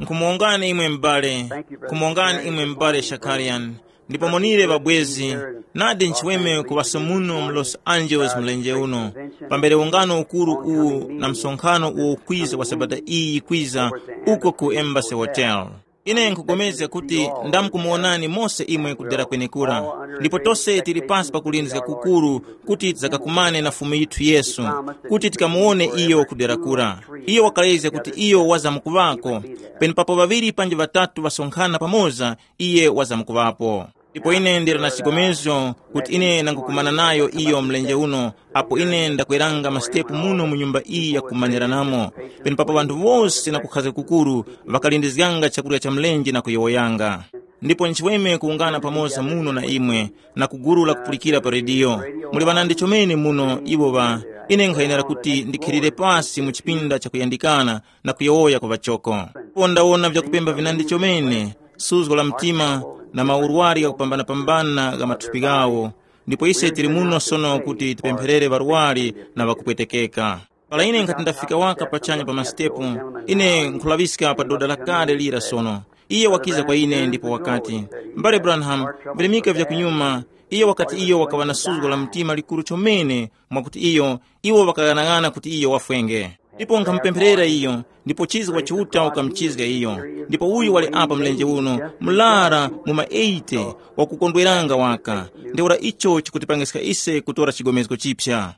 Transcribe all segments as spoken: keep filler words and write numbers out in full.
Nkhumuwongani imwe m'bale, nkhumuwongani imwe m'bale Shakarian, ndipo monire ŵabwezi, nadi nchiweme kuŵaso muno mu Los Angeles mlenje uno, pambere ungano ukuru uwu na msonkhano uwo ukwiza wa sabata iyi yikwiza, uko ku Embassy Hotel. Ine nkhupulikana kuti ndamkumuwonani mose imwe kudera kwenekura, ndipo tose tili pasi pa kulindizga kukuru kuti tizakakumane na Fumu yithu Yesu, kuti tikamuwone iyo kudera kura. Iyo wakalezga kuti iyo wazamkuŵako, penepapo ŵaŵiri panji ŵatatu ŵasonkhana pamoza, iye wazamkuŵapo. Ndipo ine ndili na chigomezgo kuti ine nangukumana nayo iyo mlenje uno, apo ine ndakweranga masitepu muno mu nyumba iyi yakumanyiranamo, penepapo ŵanthu wose na kukhazga kukuru ŵakalindizganga chakurya cha mlenje na kuyowoyanga. Ndipo nchiweme kuwungana pamoza muno na imwe, na ku gulu la kupulikira pa rediyo. Muli ŵanandi chomene muno iwo ŵa, ine nkhayenera kuti ndikhilire pasi mu chipinda chakuyandikana na kuyowoya ku ŵachoko. Ndipo ndawona vyakupemba vinandi chomene, suzgo la mtima, na maurwari ghakupambana-pambana gha mathupi ghawo. Ndipo ise tili muno sono kuti tipempherere ŵarwari na ŵakupwetekeka. Para ine nkhati ndafika waka pachanya pa masitepu, ine nkhulaŵiska pa doda lakale lira sono. Iye wakiza kwa ine ndipo wakati, "M'bale Branham, virimika vya kunyuma." Iye wakati iyo wakaŵa na suzgo la mtima likuru chomene, mwakuti iyo, iwo ŵakaghanag'ana kuti iyo wafwenge. Ndipo nkhamupempherera iyo, ndipo chizgo wa Chiuta wakamuchizga iyo. Ndipo uyu wali apa mlenje uno, mlara mu ma eighty, wakukondweranga waka. Ntheura icho chikutipangiska ise kutora chigomezgo chipya.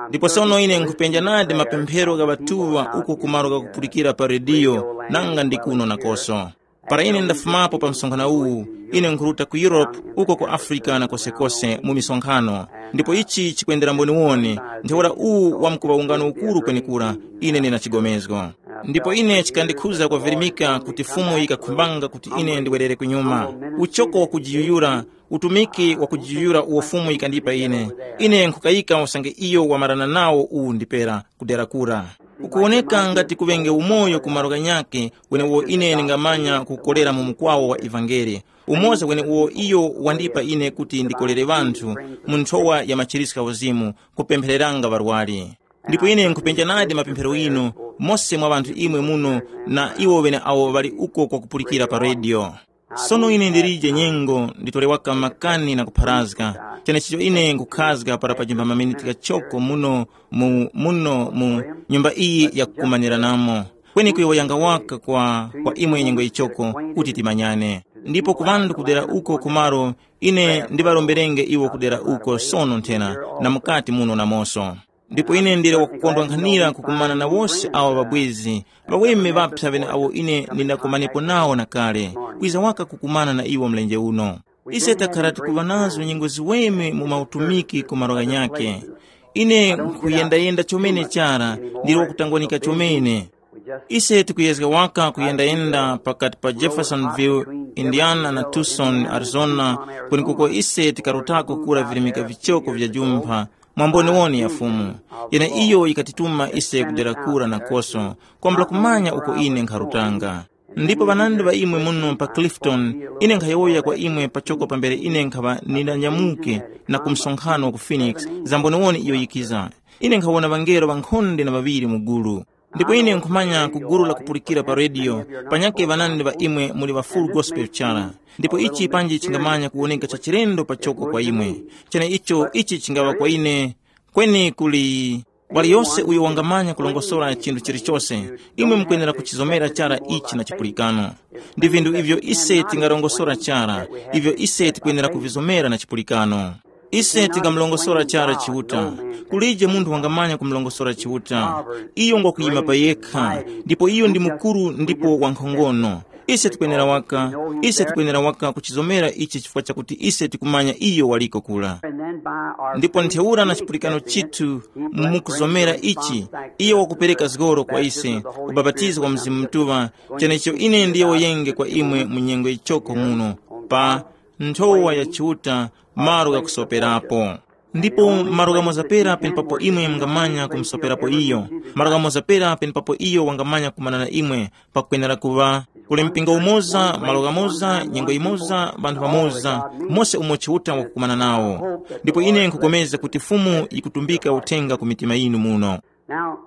Ndipo sono ine nkhupenja nadi mapemphero gha ŵatuŵa uko ku malo ghakupulikira pa rediyo, nanga ndi kuno nakoso. Para ine ndafumapo pa msonkhano uwu, ine nkhuruta ku Europe, uko ku Africa na kosekose mu misonkhano. Ndipo ichi chikwendera mboniwoni, ntheura uwu wamkuŵa ungano ukuru kwenekura, ine ndina chigomezgo. Ndipo ine chikandikhuza kwavirimika kuti Fumu yikakhumbanga kuti ine ndiwerere kunyuma. Uchoko wakujiyuyura, utumiki wakujiyuyura uwo Fumu yikandipa ine. Ine nkhukayika usange iyo wamarana nawo uwu ndipera kudera kura. Ukuwoneka ngati kuŵenge umoyo ku malo ghanyakhe, wenewo ine ndingamanya kukolera mu mukwawo wa ivangeli. Umoza wenewo iyo wandipa ine kuti ndikolere ŵanthu mu nthowa ya machiritso gha uzimu, kupemphereranga ŵarwari. Ndipo ine nkhupenja nadi mapemphero ghinu, mose mwa ŵanthu imwe muno na iwo ŵene awo ŵali uko kwakupulikira pa rediyo. Sono ine ndilije nyengo nditole waka makani na kupharazga, chenechicho ine nkhukhazga para pajimba maminiti ghachoko muno mu, muno mu nyumba iyi yakukumanyiranamo. Kweni kuyowoyanga waka kwa, kwa imwe nyengo yichoko kuti timanyane. Ndipo ku ŵanthu kudera uko kumaro, ine ndiŵaromberenge iwo kudera uko sono nthena na mukati muno namoso. Ndipo ine ndili wakukondwa nkhanira kukumana na wose awa ŵabwezi, ŵaweme ŵapsa ŵeneawo ine ndindakumanepo nawo na kale, kwiza waka kukumana na iwo mlenje uno. Ise takhara tikuŵa nazo nyengo ziweme mu mautumiki ku malo ghanyakhe. Ine nkhuyendayenda chomene chara, ndili wakutangwanika chomene. Ise tikuyezga waka kuyendayenda pakati pa Jeffersonville, Indiana na Tucson, Arizona, kwenekuko ise tikarutako kura virimika vichoko vya jumpha, mwamboniwoni ya Fumu, yene iyo yikatituma ise kudera kura nakoso, kwambula kumanya uko ine nkharutanga. Ndipo ŵanandi ŵa imwe muno pa Clifton, ine nkhayowoya kwa imwe pachoko pambere ine nkhaŵa nindanyamuke na ku msonkhano ku Phoenix, za mboniwoni iyo yikiza. Ine nkhawona ŵangelo ŵankhonde na ŵaŵiri mu gulu. Ndipo ine nkhumanya ku gulu la kupulikira pa rediyo, panyakhe ŵanandi ŵa imwe muli ŵa Full Gospel chara. Ndipo ichi panji chingamanya kuwoneka cha chilendo pachoko kwa imwe. Chene icho ichi chingaŵa kwa ine, kweni kuli waliyose uyo wangamanya kulongosora chinthu chilichose, imwe mukwenera kuchizomera chara ichi na chipulikano. Ndi vinthu ivyo ise tingarongosora chara, ivyo ise tikwenera kuvizomera na chipulikano. Ise tingamulongosora chara Chiuta. Kulije munthu wangamanya kumulongosora Chiuta. Iyo ngwakuyima pa yekha, ndipo iyo ndi mukuru ndipo wankhongono. Ise tikwenera waka, ise tikwenera waka kuchizomera ichi chifukwa chakuti ise tikumanya iyo waliko kula. Ndipo ntheura na chipulikano chithu mukuzomera ichi, iyo wakupereka zgoro kwa ise, ubapatizo wa Mzimu Mutuŵa, chenecho ine ndiyowoyenge kwa imwe mu nyengo yichoko muno, pa nthowa ya Chiuta, malo ghakusoperapo. Ndipo malo ghamoza pera penepapo imwe mungamanya kumusoperapo iyo, malo ghamoza pera penepapo iyo wangamanya kumana na imwe, pakwenera kuŵa kuli mpingo umoza, malo ghamoza, nyengo yimoza, ŵanthu ŵamoza, mose umo Chiuta wakukumana nawo. Ndipo ine nkhupulikana kuti Fumu yikutumbika uthenga ku mitima yinu muno. Now,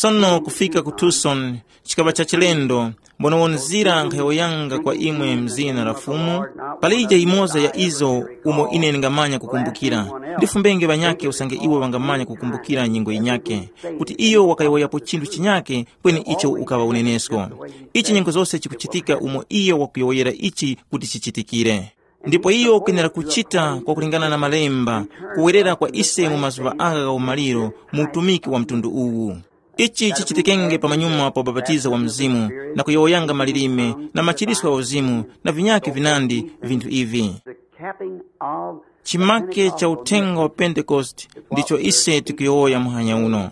Sono kufika ku Tucson, chikaŵa cha chilendo, mbono nzira nkhayowoyanga kwa imwe mzina la Fumu, palije yimoza ya izo umo ine ndingamanya kukumbukira. Ndifumbenge ŵanyakhe usange iwo ŵangamanya kukumbukira nyengo yinyakhe, kuti iyo wakayowoyapo chinthu chinyakhe, kweni icho ukaŵa unenesko. Ichi nyengo zose chikuchitika umo iyo wakuyowoyera ichi kuti chichitikire. Ndipo iyo kwenera kuchita kwakulingana na malemba, kuwerera kwa ise mu mazuŵa agha gha umaliro mu utumiki wa mtundu uwu. Ichi chichitikenge pamanyuma pa ubapatizo wa Mzimu, na kuyowoyanga malilime, na machiriswa gha uzimu, na vinyakhe vinandi, vinthu ivi. The capping of Chimake cha uthenga wa Pentekoste ndicho ise tikuyowoya muhanya uno.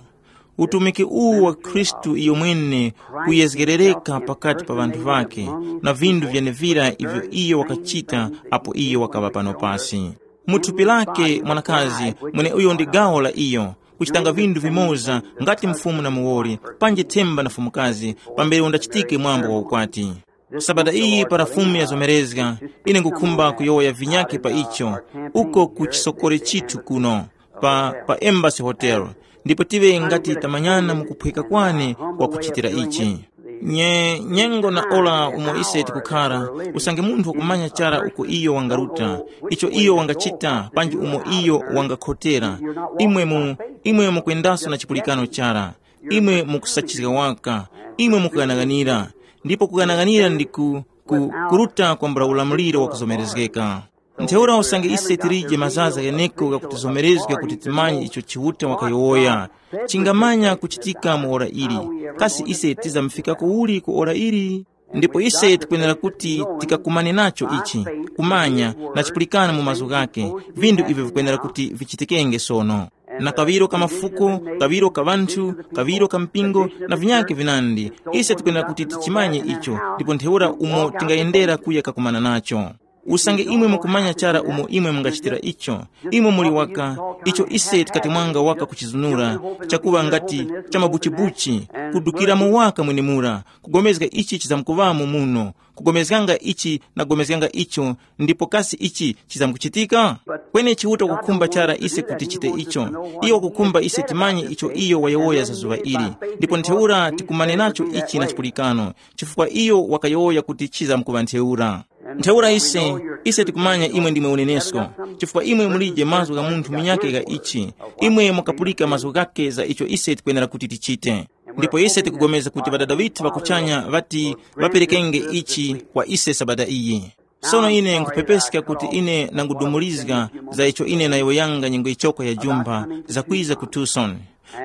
Utumiki uwu wa Khristu iyo mwene kuyezgerereka pakati pa ŵanthu ŵakhe, na vinthu vyenevira ivyo iyo wakachita apo iyo wakaŵa pano pasi. Mu thupi lake mwanakazi, mweneuyo ndi gawo la iyo, kuchitanga vinthu vimoza ngati mfumu na muwoli, panji themba na fumukazi, pambere undachitike mwambo wa ukwati. Sabata iyi para Fumu yazomerezga, ine ngukhumba kuyowoya vinyakhe pa icho, uko ku chisokore chithu kuno, pa, pa Embassy Hotel, ndipo tive ngati tamanyana mu kuphweka kwane kwa kuchitira ichi. Nye, nyengo na ora umo ise tikukhara, usange munthu wakumanya chara uko iyo wangaruta, icho iyo wangachita, panji umo iyo wangakhotera, imwe mu, imwe mukwendaso na chipulikano chara, imwe mukusachizga waka, imwe mukughanaghanira, ndipo kughanaghanira ndi ku, ku, kuruta kwambula ulamuliro wakuzomerezgeka. Ntheura usange ise tilije mazaza gheneko ghakuti zomerezga kuti timanye icho Chiuta wakayowoya, chingamanya kuchitika mu ora ili. Kasi ise tizamfikako uli ku ora ili? Ndipo ise tikwenera kuti tikakumane nacho ichi, kumanya na chipulikana mu mazgu ghake, vinthu ivyo vikwenera kuti vichitikenge sono. Na kaŵiro ka mafuko, kaŵiro ka ŵanthu, kaŵiro ka mpingo, na vinyakhe vinandi, ise tikwenera kuti tichimanye icho, ndipo ntheura umo tingayendera kuya kakumana nacho. Usange imwe mukumanya chara umo imwe mungachitira icho, imwe muli waka, icho ise tikatemwanga waka kuchizunura, chakuŵa ngati cha mabuchibuchi, kudukiramo waka mwenemura, kugomezga ichi chizamkuŵamo muno, kugomezganga ichi na kugomezganga icho, ndipo kasi ichi chizamkuchitika? Kweni Chiuta wakukhumba chara ise kuti chite icho. Iyo wakukhumba ise timanye icho iyo wayowoya za zuŵa ili, ndipo ntheura tikumane nacho ichi na chipulikano, chifukwa iyo wakayowoya kuti chizamkuŵa ntheura. Ntheura ise, ise tikumanya imwe ndimwe unenesko, chifukwa imwe mulije mazgu gha munthu munyakhe gha ichi, imwe mukapulika mazgu ghakhe za icho ise tikwenera kuti tichite. Ndipo ise tikugomeza kuti Ŵadada ŵithu ŵa kuchanya ŵati ŵaperekenge ichi kwa ise Sabata iyi. Sono ine nkhupepeska kuti ine nangudumulizga za icho ine nayowoyanga nyengo yichoko ya jumba zakwiza ku Tucson.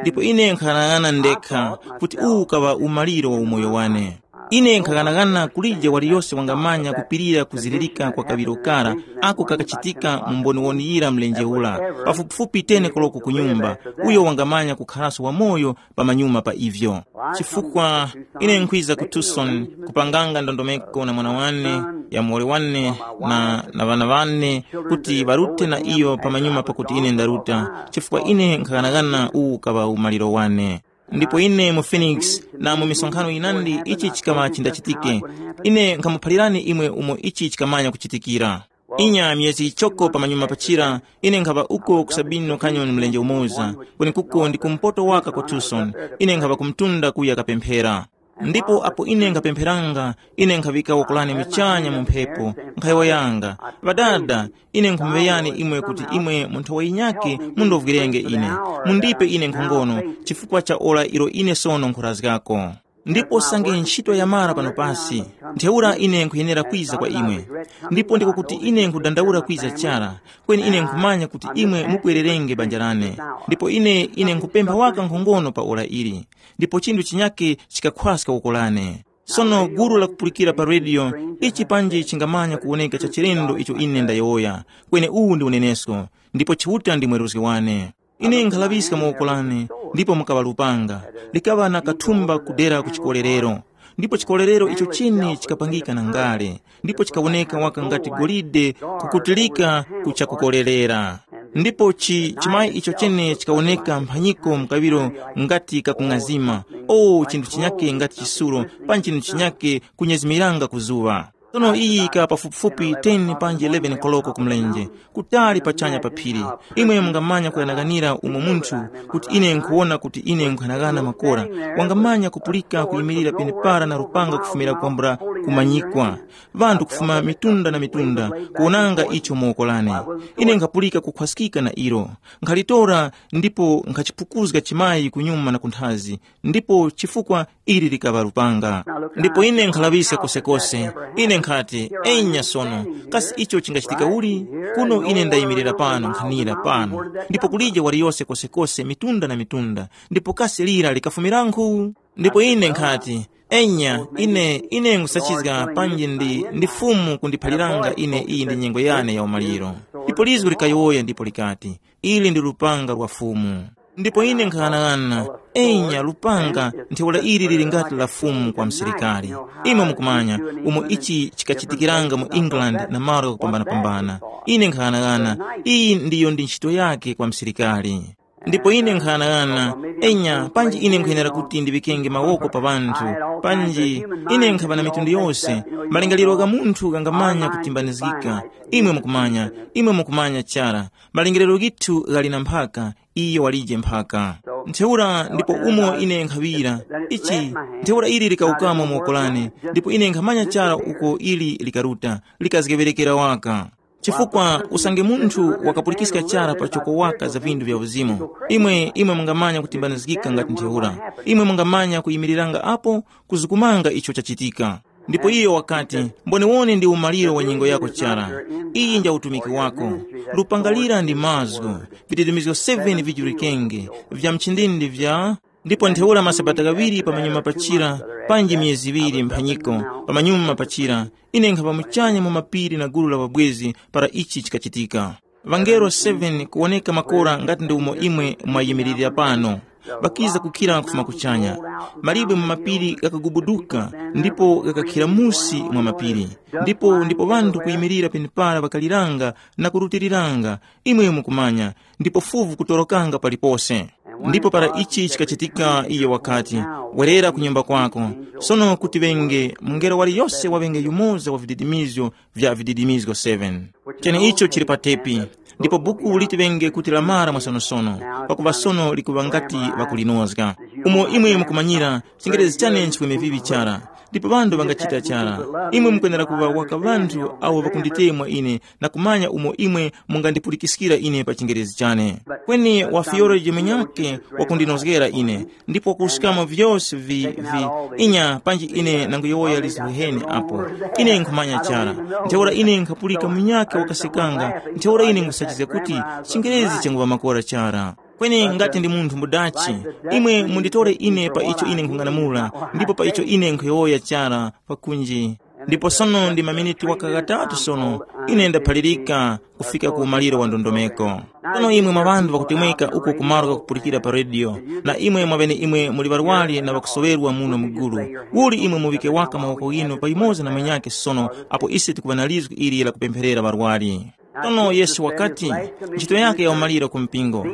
Ndipo ine nkhaghanaghana ndekha kuti uwu ukaŵa umaliro wa umoyo wane. Ine nkhaghanaghana kulije waliyose wangamanya kupirira kuzilirika kwa kaŵiro kara ako kakachitika mu mboniwoni yira mlenje ura, pafupifupi teni koloko ku nyumba, uyo wangamanya kukharaso wamoyo pamanyuma pa ivyo. Chifukwa ine nkhwiza ku Tucson kupanganga ndondomeko na mwana wane, ya muwoli wane, na, na ŵana wane, kuti ŵarute na iyo pamanyuma pakuti ine ndaruta, chifukwa ine nkhaghanaghana uwu ukaŵa umaliro wane. Ndipo ine mu Phoenix na mu misonkhano yinandi ichi chikaŵa chindachitike. Ine nkhamuphalirani imwe umo ichi chikamanya kuchitikira. Inya myezi yichoko pamanyuma pachira, ine nkhaŵa uko ku Sabino Canyon mlenje umoza, kwenekuko ndi kumpoto waka kwa Tucson. Ine nkhaŵa kumtunda kuya kapemphera. Ndipo apo ine nkhapempheranga, ine nkhaŵika woko lane muchanya mu mphepo, nkhayowoyanga, Ŵadada, ine nkhumuŵeyani imwe kuti imwe mu nthowa yinyakhe mundovwirenge ine, mundipe ine nkhongono, chifukwa cha ora ilo ine sono nkhurazgako. Ndipo sange ntchito yamara pano pasi, ntheura ine nkhuyenera kwiza kwa imwe. Ndipo ndiko kuti ine nkhudandaula kwiza chara, kweni ine nkhumanya kuti imwe mukwererenge banja lane. Ndipo ine ine nkhupempha waka nkhongono pa ora ili, ndipo chinthu chinyakhe chikakhwaska woko lane. Sono gulu lakupulikira pa rediyo, ichi panji chingamanya kuwoneka cha chilendo icho ine ndayowoya, kweni uwu ndi unenesko, ndipo Chiuta ndi mweruzgi wane. Ine nkhalaŵiska mu woko lane, ndipo mukaŵa lupanga, likaŵa na kathumba kudera ku chikolerero. Ndipo chikolerero icho chine chikapangika na ngale, ndipo chikawoneka waka ngati golide kukutilika ku chakukolerera. Ndipo chi chimayi icho chene chikawoneka mphanyiko mkaŵiro ngati kakung'azima, o chinthu chinyake ngati chisulo, panji chinthu chinyake kunyezimiranga ku zuŵa. Sono iyi yika pafupifupi ten panji eleven koloko kumlenje, kutali pachanya pa phiri. Imwe mungamanya kuyanaganira umo munthu kuti ine nkhuwona kuti ine nkuyanaghana makora, wangamanya kupulika kuyimirira penepara na lupanga kufumira kwambula kumanyikwa. Ŵanthu kufuma mitunda na mitunda kuwonanga icho mu woko lane. Ine nkhapulika kukhwaskika na ilo. Nkhalitora ndipo nkhachipukuzga chimayi kunyuma na kunthazi, ndipo chifukwa ili likaŵa lupanga. Ndipo ine nkhalaŵiska kosekose. Ine nkhati, enya sono, kasi icho chingachitika uli? Kuno ine ndayimirira pano nkhanira pano, ndipo kulije waliyose kosekose mitunda na mitunda, ndipo kasi lira likafumirankhu? Ndipo ine nkhati, enya, ine ine nkhusachizga panji ndi ndi Fumu kundiphaliranga ine iyi ndi nyengo yane ya umaliro. Ndipo lizgu likayowoya ndipo likati, ili ndi lupanga lwa Fumu. Ndipo ine nkhang'anang'ana, enya lupanga, ntheura ili lili ngati la Fumu kwa msilikari. Imwe mukumanya umo ichi chikachitikiranga mu England na malo ghakupambanapambana. Ine nkhang'anang'ana, iyi ndiyo ndi ntchito yake kwa msilikari. Ndipo ine nkhang'anang'ana, enya panji ine nkwenera kuti ndiŵikenge mawoko pa ŵanthu, panji ine nkhaŵa na mitundu yose. Malingaliro gha munthu ghangamanya kutimbanizgika. Imwe mukumanya, imwe mukumanya chara, malingaliro ghithu ghali na mphaka, iyo walije mphaka. Ntheura ndipo umo ine nkhaŵira ichi, ntheura ili likawukamo mu woko lane, ndipo ine nkhamanya chara uko ili likaruta, likazgeŵerekera waka. Chifukwa usange munthu wakapulikiska chara pachoko waka za vindu vya uzimu, imwe imwe mungamanya kutimbanizgika ngati ntheura. Imwe mungamanya kuyimiriranga apo, kuzukumanga icho chachitika. Ndipo iyo wakati, mboniwoni ndi umaliro wa nyengo yako chara. Iyi nja utumiki wako. Lupangalira ndi mazgu, vididimizgo seven vijulikenge, vya mchindindi vya ndipo ntheura masabata ghaŵiri pamanyuma pachira, panji myezi iŵiri mphanyiko, pamanyuma pachira, ine nkhapa muchanya mu mapiri na gulu la ŵabwezi para ichi chikachitika. Ŵangelo seven kuwoneka makora ngati ndi umo imwe mwayimiririra pano. Ŵakiza kukhira kufuma kuchanya. Malibwe mu mapiri ghakagubuduka, ndipo ghakakhira musi mwa mapiri. Ndipo ndipo ŵanthu kuyimirira penepara ŵakaliranga na kurutiriranga, imwe mukumanya, ndipo fuvu kutorokanga palipose. Ndipo para ichi chikachitika, iyo wakati, werera ku nyumba kwako. Sono kuti ŵenge mungelo waliyose waŵenge yumoza wa vididimizgo vya vididimizgo seven. Cheneicho chili pa tepi. Ndipo buku liti ŵenge kuti lamara mwasonosono, pakuva sono likuŵa ngati ŵakulinozga. Umo imwe mukumanyira, chingerezi chane nchikweme vivi chara. Ndipo ŵanthu ŵangachita chara. Imwe mukwenera kuŵa waka ŵanthu awo ŵakunditemwa ine na kumanya umo imwe mungandipulikiskira ine pa chingerezi chane. Kweni wa theology mwenyake wakundinozgera ine, ndipo kuskamo vyose vi, vi, inya panji ine nanguyowoya liziheni apo. Ine nkhumanya chara. Ntheura ine nkhapulika munyake wakasekanga, ntheura ine nkhusachizga kuti chingerezi changuŵa makora chara. Kweni ngati ndi munthu mudachi, imwe munditore ine pa icho ine nkhung'anamula, ndipo pa icho ine nkhuyowoya chara pakunji. Ndipo sono ndi maminiti waka ghatatu sono, ine ndaphalirika kufika ku umaliro wa ndondomeko. Sono imwe mwa ŵanthu ŵakutemweka uko kumalo kakupulikira pa rediyo, na imwe mwaŵene imwe muli ŵarwari na ŵakusoŵerwa muno mugulu, uli imwe muŵike waka mawoko ghinu payimoza na mwenyake sono, apo ise tikuŵa na lizgu ili la kupempherera ŵarwari. Sono Yesu wakati, ntchito yake ya umaliro ku mpingo.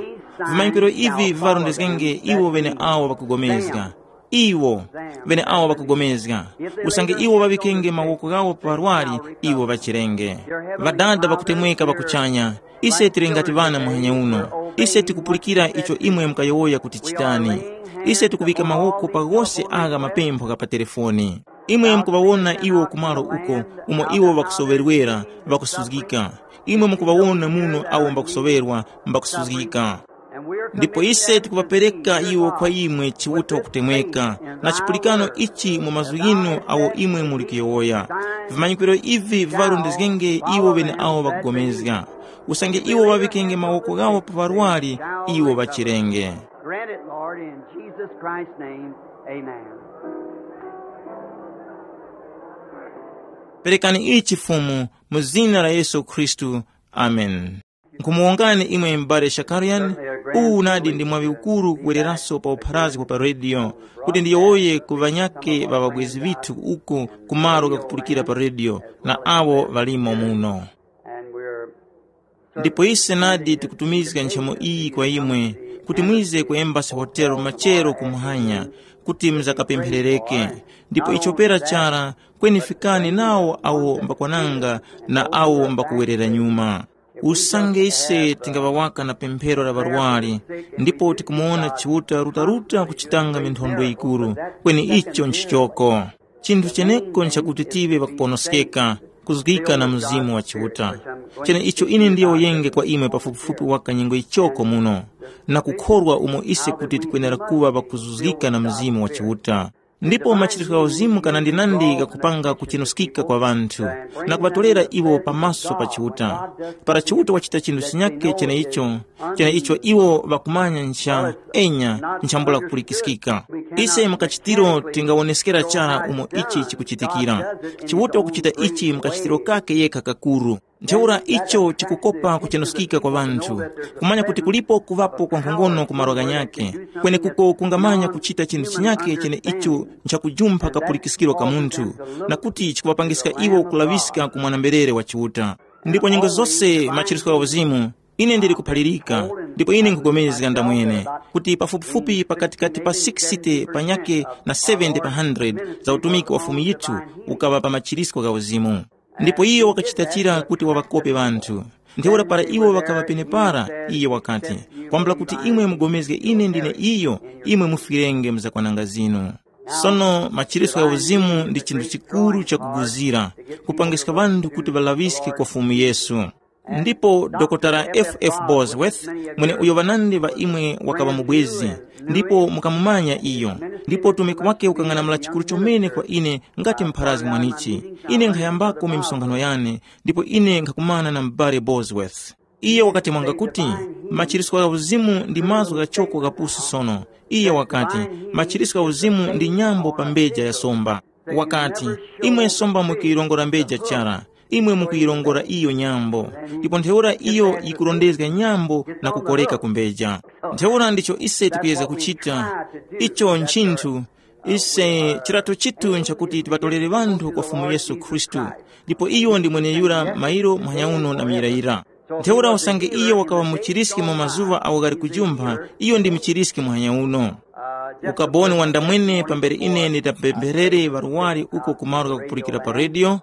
Vimanyikiro ivi viŵarondezgenge iwo ŵene awo ŵakugomezga. Iwo ŵene awo ŵakugomezga, usange iwo ŵaŵikenge mawoko ghawo pa ŵarwari, iwo ŵachirenge. Ŵadada ŵakutemweka ŵa kuchanya, ise tili ngati ŵana muhanya uno. Ise tikupulikira icho imwe mukayowoya kuti chitani. Ise tikuŵika mawoko pa ghose agha mapempho gha pa telefoni. Imwe mukuŵawona iwo kumalo uko umo iwo ŵakusoŵerwera, ŵakusuzgika. Imwe mukuŵawona muno awo mbakusoŵerwa, mbakusuzgika. Ndipo ise tikuŵapereka iwo kwa imwe Chiuta wakutemweka, na chipulikano ichi mu mazgu ghinu awo imwe muli kuyowoya. Vimanyikiro ivi viŵarondezgenge iwo ŵene awo ŵakugomezga. Usange iwo ŵaŵikenge mawoko ghawo pa ŵarwari, iwo ŵachirenge. Grant it, Lord, in Jesus Christ's name. Amen. Perekani ichi Fumu, mu zina la Yesu Khristu. Amen. Nkhumuwongani imwe m'bale Shakarian, uwu nadi ndi mwaŵi ukuru kuwereraso pa upharazi wa pa rediyo, kuti ndiyowoye ku ŵanyakhe ŵa ŵabwezi ŵithu uko ku malo ghakupulikira pa rediyo na awo ŵalimo muno. Ndipo ise nadi tikutumizga nchemo iyi kwa imwe, kuti mwize ku Embassy Hotel machero ku muhanya, kuti muzakapempherereke. Ndipo icho pera chara, kweni fikani nawo awo mbakwananga na awo mbakuwerera nyuma. Usange ise tingaŵawaka na pemphero la ŵarwari, ndipo tikumuwona Chiuta rutaruta kuchitanga minthondo yikuru, kweni icho nchichoko. Chinthu cheneko nchakuti tive ŵakuponoskeka, kuzgika na Mzimu wa Chiuta. Cheneicho ine ndiyowoyenge kwa imwe pafupifupi waka nyengo yichoko muno, na kukhorwa umo ise kuti tikwenera kuŵa ŵakuzuzgika na Mzimu wa Chiuta. Ndipo machiritiko gha uzimu kanandinandi ghakupanga kuchenuskika kwa ŵanthu, na kuŵatorera iwo pamaso pa Chiuta. Para Chiuta wachita chinthu chinyakhe cheneicho, cheneicho iwo ŵakumanya ncha enya nchambula kupulikiskika. Ise mukachitiro tingawoneskera chara umo ichi chikuchitikira. Chiuta wakuchita ichi mukachitiro kake yekha kakuru. Ntheura icho chikukopa kuchenuskika kwa ŵanthu, kumanya kuti kulipo kuŵapo kwa nkhongono ku malo ghanyakhe, kwenekuko kungamanya kuchita chinthu chinyakhe cheneicho nchakujumpha kapulikiskiro ka munthu, na kuti chikuŵapangiska iwo kulaŵiska ku mwana-mberere wa Chiuta. Ndipo nyengo zose machiritiko gha uzimu, ine ndili kuphalirika, ndipo ine nkhupulikana ndamwene, kuti pafupifupi pakatikati pa sixty panyakhe na seventy pa hundred za utumiki wa Fumu yithu ukaŵa pa machiritiko gha uzimu. Ndipo iyo wakachita chira kuti waŵakope ŵanthu. Ntheura para iwo ŵakaŵa penepara, iye wakati, “Kwambula kuti imwe mugomezge ine ndine iyo, imwe mufwirenge mzakwananga zinu.” Sono machiritiko gha uzimu ndi chinthu chikuru chakuguzira, kupangiska ŵanthu kuti ŵalaŵiske kwa Fumu Yesu. Ndipo Dokotala F F Bosworth, mweneuyo ŵanandi ŵa imwe wakaŵa mubwezi, ndipo mukamumanya iyo, ndipo utumiki wake ukang'anamula chikuru chomene kwa ine ngati mpharazgi mwanichi. Ine nkhayambako misonkhano yane, ndipo ine nkhakumana na m'bale Bosworth. Iye wakati mwanga kuti, machiritiko gha uzimu ndi mazgu ghachoko ghapusi sono. Iye wakati, machiritiko gha uzimu ndi nyambo pa mbeja ya somba. Wakati, imwe somba mukuyirongora mbeja chara, imwe mukuyirongora iyo nyambo, ndipo ntheura iyo yikurondezga nyambo na kukoreka ku mbeja. Ntheura ndicho ise tikuyezga kuchita. Icho nchinthu, ise chirato chitu nchakuti tiŵatolere ŵanthu kwa Fumu Yesu Khristu, ndipo iyo ndi mweneyura mairo muhanya uno na muyirayira. Ntheura usange iyo wakaŵa muchiriski mu mazuŵa awo ghali kujumpha, iyo ndi muchiriski muhanya uno. Ukaboni wandamwene pambere ine nditapempherere ŵarwari uko ku malo ghakupulikira pa redio.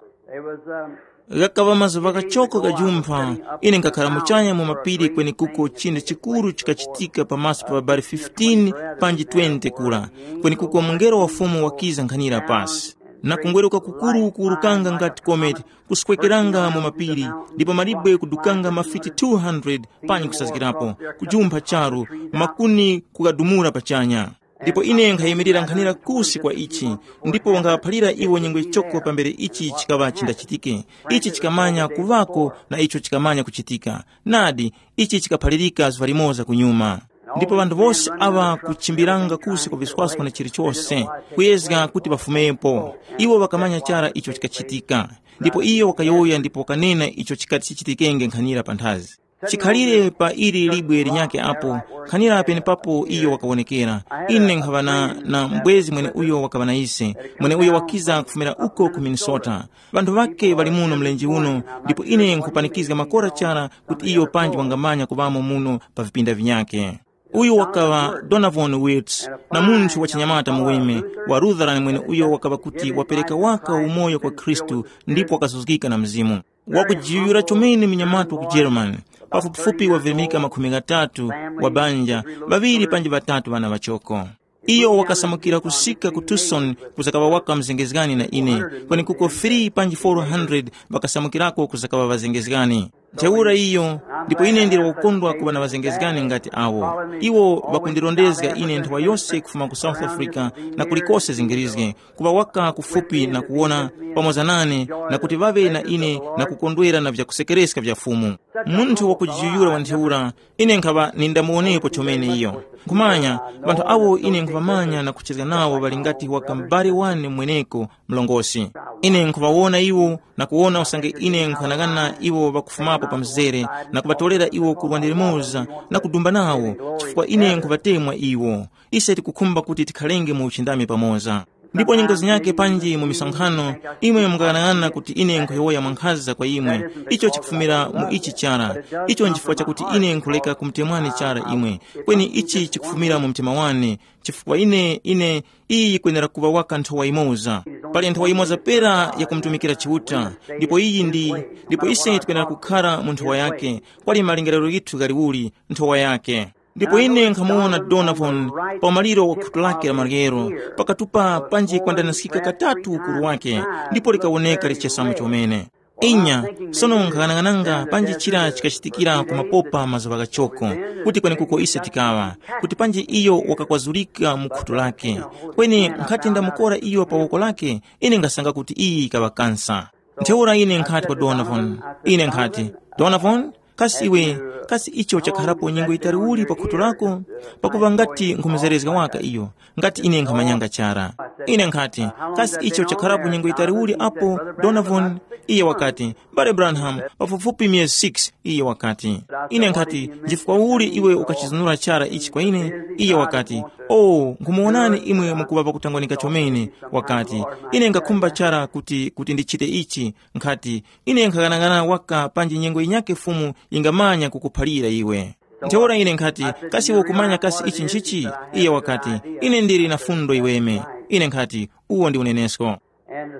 Ghakaŵa mazuŵa ghachoko ghajumpha, ine nkhakhara muchanya mu mapiri kwenekuko chinthu chikuru chikachitika pamaso pa ŵabali fifteen panji twenty kura, kwenekuko mungelo wa Fumu wakiza nkhanira pasi. Na kungweruka kukuru kuwurukanga ngati kometi, kuswekeranga mu mapiri, ndipo malibwe kudukanga mafiti two hundred panyi kusazgirapo, kujumpha charu, makuni kukadumula pachanya. Ndipo ine nkhayimirira nkhanira kusi kwa ichi, ndipo nkhaŵaphalira iwo nyengo yichoko pambere ichi chikaŵa chindachitike. Ichi chikamanya kuŵako na icho chikamanya kuchitika. Nadi, ichi chikaphalirika zuŵa limoza kunyuma. Ndipo ŵanthu wose aŵa kuchimbiranga kusi kwa viswaso na chilichose, kuyezga kuti ŵafumepo. Iwo ŵakamanya chara icho chikachitika. Ndipo iyo wakayowoya ndipo wakanena icho chikati chichitikenge nkhanira panthazi. Chikhalire pa ili libwe linyakhe apo, nkhanira penepapo iyo wakawonekera. Ine nkhaŵa na, na mbwezi mweneuyo wakaŵa na ise, mweneuyo wakiza kufumira uko ku Minnesota. Ŵanthu ŵakhe ŵali muno mlenje uno, ndipo ine nkhupanikizga makora chara kuti iyo panji wangamanya kuŵamo muno pa vipinda vinyakhe. Uyu wakaŵa Donovan Wilts, na munthu wa chinyamata muweme wa Lutheran mweneuyo wakaŵa kuti wapereka waka umoyo kwa Khristu ndipo wakazuzgika na Mzimu. Wakujiyuyura chomene munyamata wa ku Germany, pafupifupi wavirimika makhumi ghatatu wa banja, ŵaŵiri panji ŵatatu ŵana ŵachoko. Iyo wakasamukira kusika ku Tucson kuzakaŵa waka mzengezgani na ine, kweni kuko three panji four hundred ŵakasamukirako kuzakaŵa ŵazengezgani. Ntheura iyo, ndipo ine ndili wakukondwa kuŵa na ŵazengezgani ngati awo. Iwo ŵakundirondezga ine nthawa yose kufuma ku South Africa na kulikose zingirizge, kuŵa waka kufupi na kuwona pamoza nane na kuti ŵaŵe na ine na kukondwera na vyakusekereska vya Fumu. Munthu wakujiyuyura wa ntheura, ine nkhaŵa nindamuwonepo chomene iyo. Nkhumanya, ŵanthu awo ine nkhuŵamanya na kuchezga nawo ŵali ngati waka m'bale wane mweneko mlongosi. Ine nkhuŵawona iwo na kuwona usange ine nkhughanaghana iwo ŵakufumapo pa mzere na kuŵatorera iwo ku lwande limoza na kudumba nawo, chifukwa ine nkhuŵatemwa iwo. Ise tikukhumba kuti tikhalenge mu uchindami pamoza. Ndipo nyengo zinyake panji mu misonkhano, imwe mukaghanag'ana kuti ine nkhuyowoya mwankhaza kwa imwe, icho chikufumira mu ichi chara. Icho nchifukwa chakuti ine nkhuleka kumutemwani chara imwe, kweni ichi chikufumira mu mtima wane. Chifukwa ine ine iyi yikwenera kuŵa waka nthowa yimoza. Pali nthowa yimoza pera yakumutumikira Chiuta. Ndipo iyi ndi ndipo ise tikwenera kukhara mu nthowa yake. Kwali malingaliro yithu ghaliuli nthowa yake. Ndipo ine nkhamuwona Donovan pa umaliro wa khutu lake la maryero, pakatupa panji kwandanaskika katatu ukuru wake, ndipo likawoneka lichesamo chomene. Inya, sono nkhaghanagananga panji chira chikachitikira ku mapopa mazuŵa ghachoko, kuti kwenekuko ise tikaŵa, kuti panji iyo wakakwazulika mu khutu lake. Kweni nkhati ndamukora iyo pa woko lake, ine ngasanga kuti iyi ikaŵa kansa. Ntheura ine nkhati kwa Donovan, ine nkhati, Donovan, kasi iwe, kasi icho chakharapo nyengo yitali uli pa khutu lako? Pakuva ngati nkhumuzerezga waka iyo, ngati ine nkhamanyanga chara. Ine nkhati, kasi icho chakharapo nyengo yitali uli apo, Donovan? Iye wakati, Mbale Branham, pafupifupi myezi six. Iye wakati, ine nkhati, nchifukwa uli iwe ukachizunura chara ichi kwa ine? Iye wakati, o, nkhumuwonani imwe mukuŵa pakutangwanika chomene. Wakati, ine ngakhumba chara kuti kuti ndichite ichi. Nkhati, ine nkhaghanaghana waka panji nyengo yinyakhe Fumu yingamanya kukuphalira iwe. Ntheura ine nkhati, kasi iwe ukumanya kasi ichi nchichi? Iye wakati, ine ndili na fundo iweme. Ine nkhati, uwo ndi unenesko.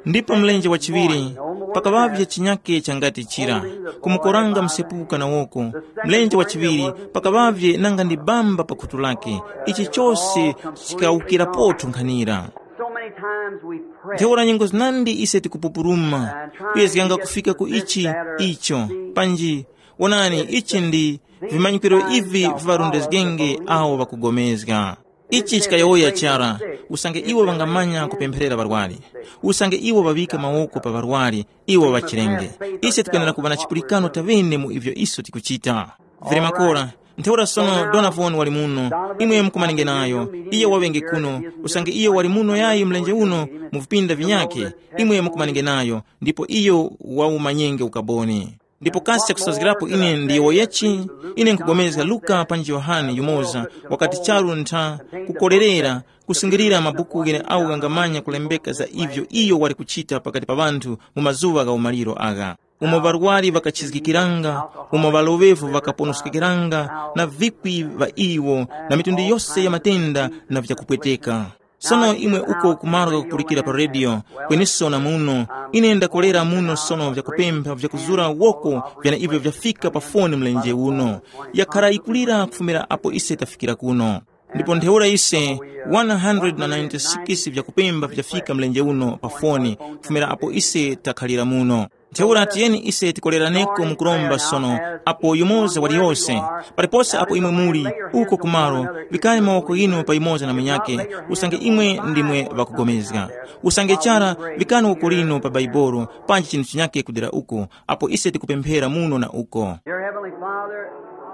Ndipo mlenje wa chiŵiri, pakaŵavye chinyake changati chira, kumukoranga msepuka na woko. Mlenje wa chiŵiri, pakaŵavye nanga ndi bamba pa khutu lake. Ichi chose chikawukirapotu nkhanira. So many times we pray. Ntheura nyengo zinandi ise tikupupuluma, kuyezganga kufika ku ichi, icho, panji, wonani, ichi ndi vimanyikiro ivi viŵarondezgenge awo ŵakugomezga. Ichi chikayowoya chara, usange iwo ŵangamanya kupempherera ŵarwari, usange iwo ŵaŵika mawoko pa ŵarwari, iwo ŵachirenge. Ise tikwenera kuŵa na chipulikano tavene mu ivyo iso tikuchita. Vili makora, ntheura sono Donavon wali muno, imwe mukumanenge nayo, iyo waŵenge kuno, usange iyo wali muno yayi mlenje uno, mu vipinda vinyakhe, imwe mukumanenge nayo, ndipo iyo wawumanyenge ukaboni. Ndipo kasi chakusazgirapo ine ndiyowoyechi, ine nkugomezga Luka panji Yohane yumoza, wakati charu ntha, kukorerera, kusungilira mabuku ghene awo ghangamanya kulembeka za ivyo iyo wali kuchita pakati pa ŵanthu mu mazuŵa gha umaliro agha. Umo ŵarwari ŵakachizgikiranga, umo ŵaloŵevu ŵakaponoskekera, na vikwi ŵa iwo, na mitundu yose ya matenda na vyakupweteka. Sono imwe uko kumaro kakupulikira pa redio, kweniso na muno, ine ndakolera muno sono vyakupempha vyakuzura woko vyana ivyo vyafika pa foni mlenje uno. Yakhara yikulira kufumira apo ise tafikira kuno. Ndipo ntheura ise, one hundred ninety-six vyakupemba vyafika mlenje uno pa foni, kufumira apo ise takhalira muno. Ntheura tiyeni ise tikoleraneko mukuromba sono, apo yumoza waliyose, palipose apo imwe muli, uko kumaro, vikani mawoko ghinu pa yumoza na munyake, usange imwe ndimwe ŵakugomezga. Usange chara, vikani woko linu pa Baibolo, panji chinthu chinyake kudera uko, apo ise tikupemphera muno na uko. Dear Heavenly Father,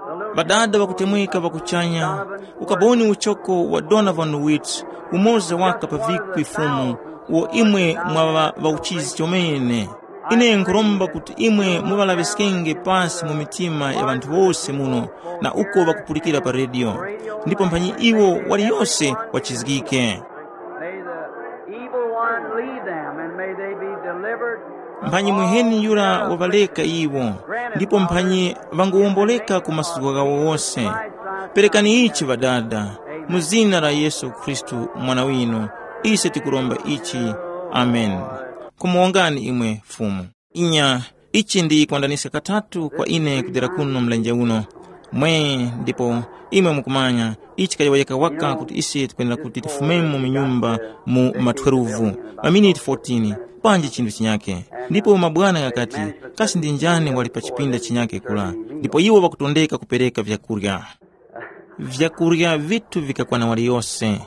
the little Ŵadada ŵakutemweka ŵakuchanya, ukaboni uchoko wa Donovan Witt, umoza waka pa vikwi Fumu, uwo imwe mwaŵa ŵauchizi chomene. Ine nkhuromba kuti imwe muŵalaŵiskenge pasi mu mitima ya ŵanthu wose muno, na uko ŵakupulikira pa redio, ndipo mphanyi iwo waliyose wachizgike. May the evil one leave them, and may they be delivered. Mphanyi mwiheni yura waŵaleka iwo, ndipo mphanyi ŵangowomboleka ku masuko ghawo wose. Perekani ichi Ŵadada, mu zina la Yesu Khristu, Mwana winu, ise tikuromba ichi. Amen. Kumuwongani imwe Fumu. Inya, ichi ndi kwandaniska katatu kwa ine kudera kuno mlenje uno. Mwe, ndipo imwe mukumanya, ichi kayowoyeka waka kuti ise tikwenera kuti tifumemo mu nyumba mu ma twelve, maminiti fourteen, panji chinthu chinyake. Ndipo mabwana ghakati, kasi ndi njani wali pa chipinda chinyake kula? Ndipo iwo ŵakutondeka kupereka vyakurya. Vyakurya vithu vikakwana waliyose.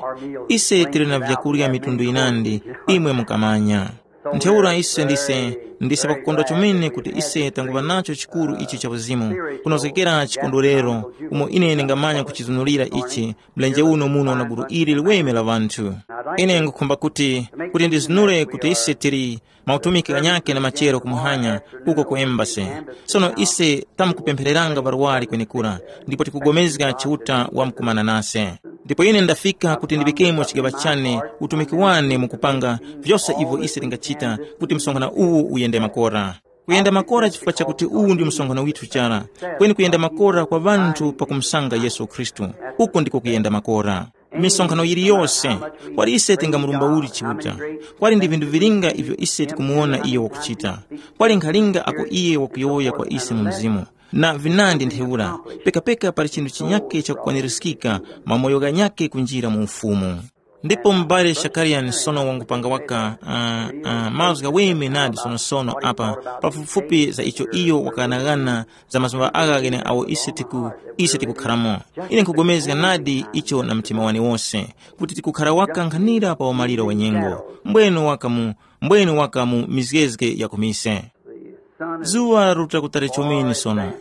Ise tili na vyakurya mitundu yinandi, imwe mukamanya. Ntheura ise ndise, ndise pakukondwa chomene kuti ise tanguŵa nacho chikuru ichi cha uzimu, kunozgekera chikondwerero, umo ine ndingamanya kuchizunulira ichi, mlenje uno muno na gulu ili liweme la ŵanthu. Ine ngukhumba kuti, kuti ndizunule kuti ise tili mautumiki ghanyakhe na machero kumuhanya, uko ku embasi. Sono ise tamkupemphereranga ŵarwari kwenekura, ndipo tikugomezga Chiuta wamkumana nase. Ndipo ine ndafika kuti ndiŵikemo chigaŵa chane, utumiki wane mu kupanga vyose ivyo ise tingachita kuti msonkhano uwu uyende makora. Kuyenda makora chifukwa chakuti uwu ndi msonkhano withu chara, kweni kuyenda makora kwa ŵanthu pakumusanga Yesu Khristu. Uko ndiko kuyenda makora. Misonkhano yiliyose, kwali ise tingamurumba uli Chiuta, kwali ndi vinthu vilinga ivyo ise tikumuwona iyo wakuchita, kwali nkhalinga ako iye wakuyowoya kwa ise mu mzimu, na vinandi ntheura, pekapeka pali chinthu chinyake chakukwanirizgika mwa moyo ghanyake kunjira mu ufumu. Ndipo m'bale Shakariani sono wangupanga waka uh, uh, mazgu ghaweme nadi sonosono apa pafupifupi za icho iyo wakanaghana za mazuŵa agha ghene awo ise tiku ise tikukharamo. Ine nkhugomezga nadi icho na mtima wane wose, kuti tikukhara waka nkhanira pa umaliro wa nyengo. Mbwenu waka mu mbwenu waka mu mizgezge ya kumise. Zuŵa laruta kutali chomene sono,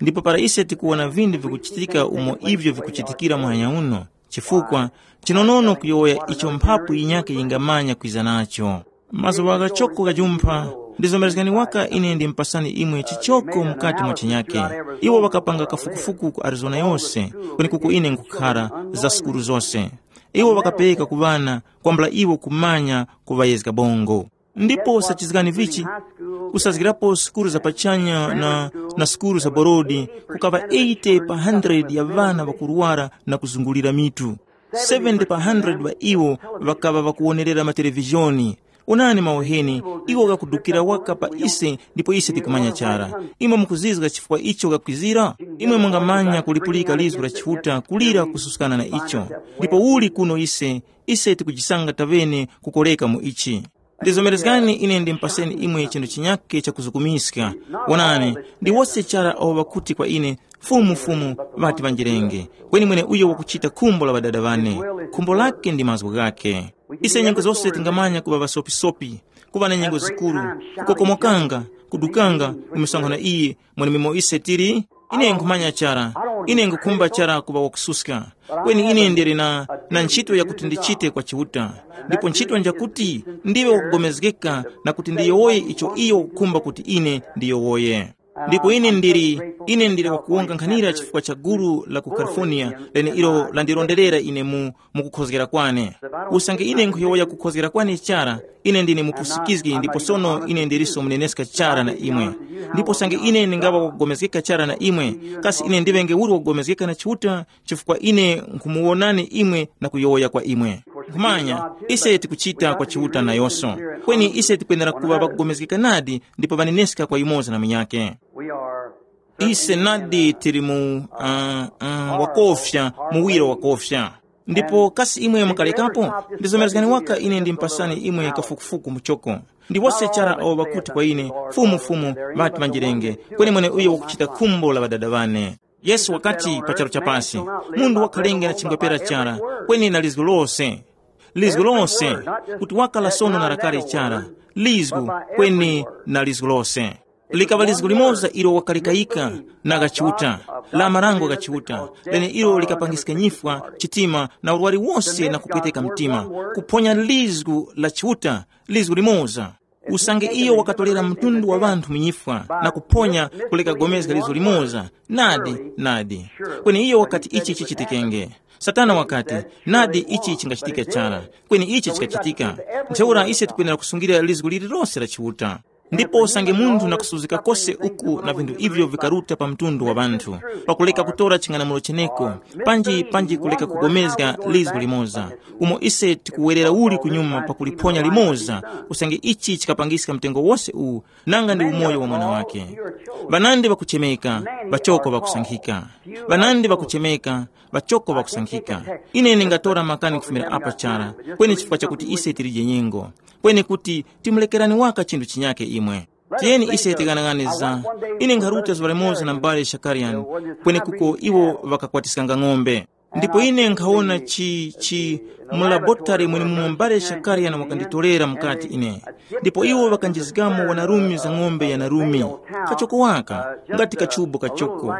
ndipo para ise tikuwona vinthu vikuchitika umo ivyo vikuchitikira muhanya uno, chifukwa chinonono kuyowoya icho mphapu yinyakhe yingamanya kwiza nacho. Mazuŵa ghachoko ghajumpha, ndizomerezgani waka ine ndimupasani imwe chichoko mukati mwa chinyake. Iwo ŵakapanga kafukufuku ku Arizona yose, kwenekuko ine nkhukhara, za sukulu zose. Iwo ŵakapereka ku ŵana kwambula iwo kumanya kuŵayezga bongo. Ndipo sachizgani vichi, kusazgirapo sukulu za pachanya na, na sukulu za borodi, kukaŵa eighty pa hundred ya ŵana ŵakurwara na kuzungulira mitu. Seventy pa hundred ŵa iwo ŵakaŵa ŵakuwonerera matelevizhoni. Onani maweheni, iwo ghakudukira waka pa ise ndipo ise tikumanya chara. Imwe mukuzizga chifukwa icho ghakwizira? Imwe mungamanya kulipulika lizgu la Chiuta kulira kususkana na icho. Ndipo uli kuno ise, ise tikujisanga taŵene kukoreka mu ichi. Ndizomerezgani ine ndimupaseni imwe chinthu chinyake chakuzukumiska. Wonani, ndi wose chara awo ŵakuti kwa ine, Fumu, Fumu, ŵati ŵanjirenge, kweni mweneuyo wakuchita khumbo la Ŵadada ŵane, khumbo lake ndi mazgu ghake. Ise nyengo zose tingamanya kuŵa ŵasopisopi, kuŵa na nyengo zikuru, kukokomokanga, kudukanga ku misonkho na iye, mwenememo ise tili. Ine nkhumanya chara, ine nkhukhumba chara kuŵa wakususka, kweni ine ndili na, na ntchito yakuti ndichite kwa Chiuta. Ndipo ntchito njakuti ndiwe wakupulikana na kuti ndiyowoye icho iyo wakukhumba kuti ine ndiyowoye. Ndipo ine ndili, ine ndili wakuwonga nkhanira chifukwa cha gulu la ku California lene ilo landironderera ine mu, mu kukhozgera kwane. Usange ine nkhuyowoya kukhozgera kwane chara, ine ndine mupusikizgi ndipo sono ine ndilinso muneneska chara na imwe. Ndipo usange ine ndingaŵa wakugomezgeka chara na imwe, kasi ine ndiŵenge uli wakugomezgeka na Chiuta? Chifukwa ine nkhumuwonani imwe na kuyowoya kwa imwe. Nkhumanya, ise tikuchita kwa Chiuta nayonso, kweni ise tikwenera kuŵa ŵakugomezgeka nadi ndipo ŵaneneska kwa yumoza na munyakhe. Ise nadi tili mu uh, uh, wakofya, muwiro wakofya. Ndipo kasi imwe mukalekapo? Ndizomerezgani waka ine ndimpasani imwe kafukufuku muchoko. Ndi wose chara awo ŵakuti kwa ine, Fumu, Fumu, ŵati ŵanjirenge, kweni mweneuyo wakuchita khumbo la Ŵadada ŵane. Yesu wakati pa charu cha pasi, munthu wakhalenge na chingwepera chara, kweni na lizgu lose. Lizgu lose, kuti wakala sono na lakale chara, lizgu, kweni na lizgu lose. Likaŵa lizgu limoza ilo wakalikayika na gha Chiuta, la marango gha Chiuta, lene ilo likapangiska nyifwa, chitima na urwari wose na kupweteka mtima, kuphonya lizgu la Chiuta, lizgu limoza. Usange iyo wakatorera mtundu wa ŵanthu mu nyifwa na kuphonya kuleka gomezga lizo limoza, nadi, nadi. Kweni iyo wakati ichi chichitikenge. Satana wakati, nadi ichi chingachitike chara. Kweni ichi chikachitika. Ntheura ise tikwenera kusungira lizgu lililose la Chiuta. Ndipo usange munthu nakusuzika kose uku na vinthu ivyo vikaruta pa mtundu wa ŵanthu, pakuleka kutora ching'anamulo cheneko, panji panji kuleka kugomezga lizgu limoza, umo ise tikuwerera uli kunyuma pakuliphonya limoza, usange ichi chikapangiska mtengo wose uwu, nanga ndi umoyo wa mwana wake. Ŵanandi ŵakuchemeka, ŵachoko ŵakusankhika. Ŵanandi ŵakuchemeka, ŵachoko ŵakusankhika. Ine ndingatora makani kufumira apa chara, kweni chifukwa chakuti ise tilije nyengo, kweni kuti timulekerani waka chinthu chinyake imwe. Tiyeni ise tighanaghanizga. Ine nkharuta zuŵa limoza na m'bale Shakariani, kwenekuko iwo ŵakakwatiskanga ng'ombe. Ndipo ine nkhawona chi, chi, mu labotare mwenemumo m'bale Shakariani wakanditorera mukati ine. Ndipo iwo ŵakanjizgamo wanarume za ng'ombe ya narume, kachoko waka, ngati kachubo kachoko,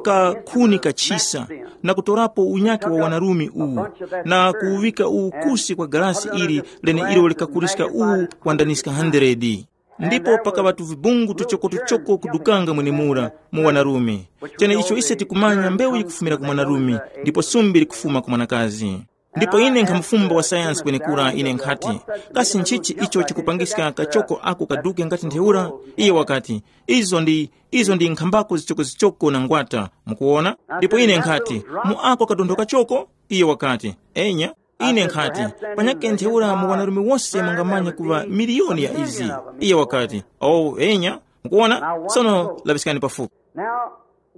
ka khuni kachisa, na kutorapo unyake wa wanarume uwu, na kuwuŵika uwu kusi kwa galasi ili lene ilo likakuliska uwu wandaniska handeredi. Ndipo pakaŵa tuvibungu tuchokotuchoko kudukanga mwenemura mu wanarume. Chene icho ise tikumanya mbewu yikufumira ku mwanarume, ndipo sumbi likufuma ku mwanakazi. Ndipo ine nkhamufumba wa sayansi kwenekura ine nkhati, kasi nchichi icho chikupangiska kachoko ako kaduke ngati ntheura? Iye wakati, izo ndi izo ndi nkhambako zichokozichoko na ngwata. Mukuwona? Ndipo ine nkhati, mu ako kadontho kachoko? Iye wakati, enya. Ine nkhati, panyake ntheura mu wanarume wose mungamanya kuŵa miliyoni ya izi. Iye wakati, oh enya. Mukuwona? Sono laŵiskani pafupi. Now,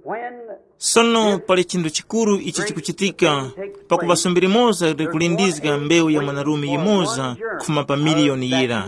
when sono pali chinthu chikuru ichi chikuchitika, pakuŵa sumbi limoza likulindizga mbewu ya mwanarume yimoza kufuma pa miliyoni yira.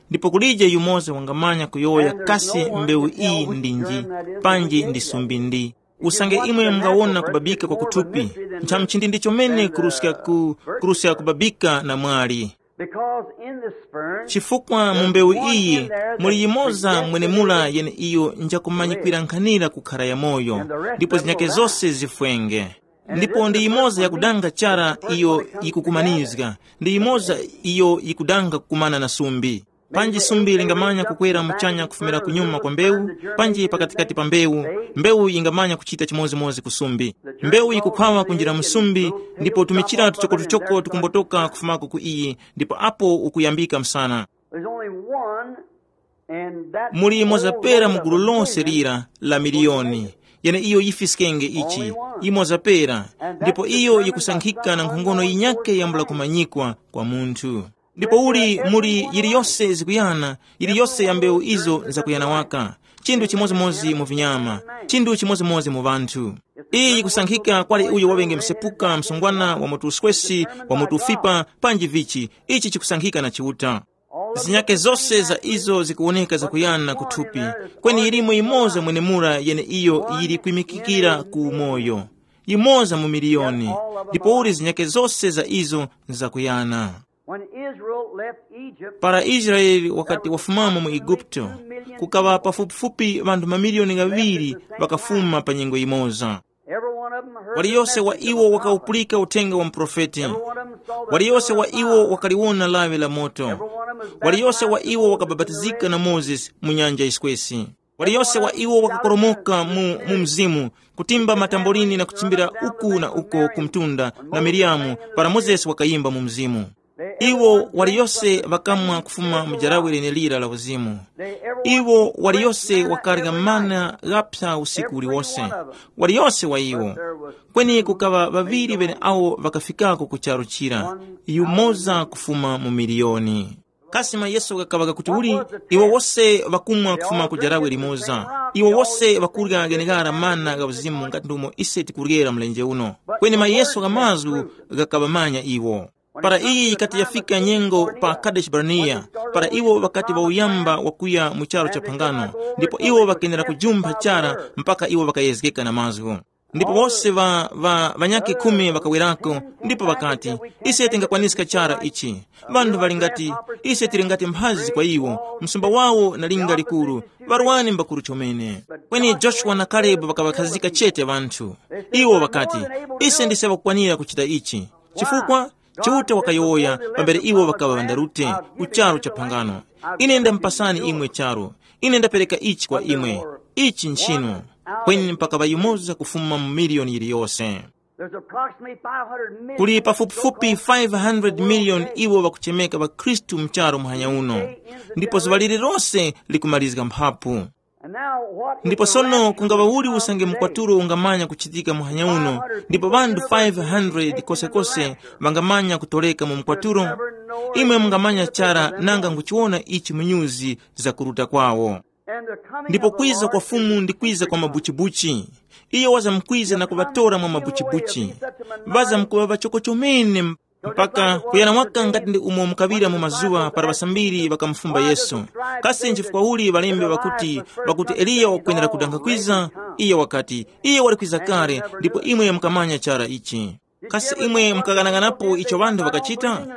Ndipo kulije yumoza wangamanya kuyowoya kasi mbewu iyi ndinji, panji ndi sumbi ndi. Usange imwe mungawona kubabika kwa kuthupi, ntchamuchindi ndi chomene kuruska ku kuruska kubabika na mwali. Because in the sperm, chifukwa mu mbewu iyi muli yimoza mwenemura yene iyo njakumanyikwira nkhanira kukhara yamoyo, ndipo zinyake zose zifwenge. Ndipo ndi yimoza yakudanga chara iyo yikukumanizga, ndi yimoza iyo yikudanga kukumana na sumbi. Panji sumbi lingamanya kukwera muchanya kufumira kunyuma kwa mbewu, panji pakatikati pa mbewu, mbewu yingamanya kuchita chimodzimodzi ku sumbi. Mbewu yikukhwawa kunjira mu sumbi, ndipo tumichira tuchokotuchoko tukumbotoka kufumako ku iyi, ndipo apo ukuyambika msana. There's only one, and that muli imodzi pera mu gulu lonse lira la miliyoni, yene iyo yifiskenge ichi, imodzi pera, ndipo iyo yikusankhika na nkhongono yinyake yambula kumanyikwa kwa munthu. Ndipo uli muli yiliyose zikuyana, yiliyose ya mbewu izo zakuyana waka, chinthu chimodzimodzi mu vinyama, chinthu chimodzimodzi mu ŵanthu. Iyi yikusankhika kwali uyo waŵenge msepuka, msungwana, wa mutu uswesi, wa mutu ufipa, panji vichi, ichi chikusankhika na Chiuta. Zinyake zose za izo zikuwoneka zakuyana kuthupi, kweni yilimo yimoza mwenemura yene iyo yili kwimikikira ku umoyo, yimoza mu miliyoni, ndipo uli zinyake zose za izo nzakuyana. When Israel left Egypt, para Israeli wakati wafumamo mu Eguputo, kukaŵa pafupifupi ŵanthu mamiliyoni ghaŵiri ŵakafuma pa nyengo yimoza. Every one of them heard the waliyose wa message of iwo the prophet. Wakawupulika uthenga wa muprofeti. Every one of them saw the waliyose pillar wa of iwo fire. Wakaliwona lawi la moto. Every one of them was waliyose wa baptized iwo by John the wakabapatizika na Baptist. Mozesi mu nyanja yiswesi. Waliyose wa iwo wakakoromoka mu, mu mzimu, kutimba matambolini na kuchimbira uku na uko ku mtunda na Miriyamu, para Mozesi wakayimba mu mzimu. Iwo waliyose ŵakamwa kufuma mu jarawe lenelira la uzimu. Iwo waliyose wakarya mana ghapsa usiku uliwose. Waliyose wa iwo. Kweni kukaŵa ŵaŵiri ŵeneawo ŵakafikako ku charu chira, yumoza kufuma mu miliyoni. Kasi mayeso ghakaŵa ghakuti uli? Iwo wose ŵakumwa kufuma ku jarawe limoza. Iwo wose ŵakurya gheneghara mana gha uzimu ngati ndumo ise tikuryera mlenje uno. Kweni mayeso gha mazgu ghakaŵamanya iwo. Para iyi yikati yafika nyengo pa Kadeshi Barnea, para iwo ŵakati ŵauyamba wakuya mu charu cha phangano, ndipo iwo ŵakenera kujumpha chara mpaka iwo ŵakayezgeka na mazgu. Ndipo wose ŵa, ŵa, ŵanyakhe khumi ŵakawerako, ndipo ŵakati, ise tingakwaniska chara ichi. Ŵanthu ŵali ngati, ise tili ngati mphazi kwa iwo, msumba wawo na linga likuru, ŵarwani mbakuru chomene. Kweni Joshua na Kalebu ŵakaŵakhazika chete ŵanthu. Iwo ŵakati, ise ndise ŵakukwanira kuchita ichi. Chifukwa Chiuta wakayowoya pambere iwo ŵakaŵa ŵandarute ku charu cha phangano, ine ndamupasani imwe charu, ine ndapereka ichi kwa imwe, ichi nchinu. Kweni mpaka ŵayimoza kufuma mu miliyoni yiliyose. There's approximately five hundred million kuli pafupifupi five hundred million iwo ŵakuchemeka ŵakhristu mcharo muhanya uno, ndipo zuŵa lililose likumalizga mphapu. Ndipo sono kungaŵa uli usange mkwatulo ungamanya kuchitika muhanya uno, ndipo ŵanthu five hundred kosekose ŵangamanya kutoleka mu mkwatulo? Imwe mungamanya chara nanga nguchiwona ichi mu nyuzi zakuruta kwawo. Ndipo kwiza kwa Fumu ndi kwiza kwa mabuchibuchi. Iyo wazamkwiza na kuŵatora mwa mabuchibuchi. Ŵazamkuŵa ŵachoko chomene mpaka kuyana waka ngati ndi umo mukaŵira mu mazuŵa para ŵasambiri ŵakamufumba Yesu. Kasi nchifukwa uli ŵalembe ŵakuti, ŵakuti Eliya wakwenera kudanga kwiza? Iye wakati, iye wali kwiza kale, ndipo imwe mukamanya chara ichi. Kasi imwe mukaghanaganapo icho ŵanthu ŵakachita?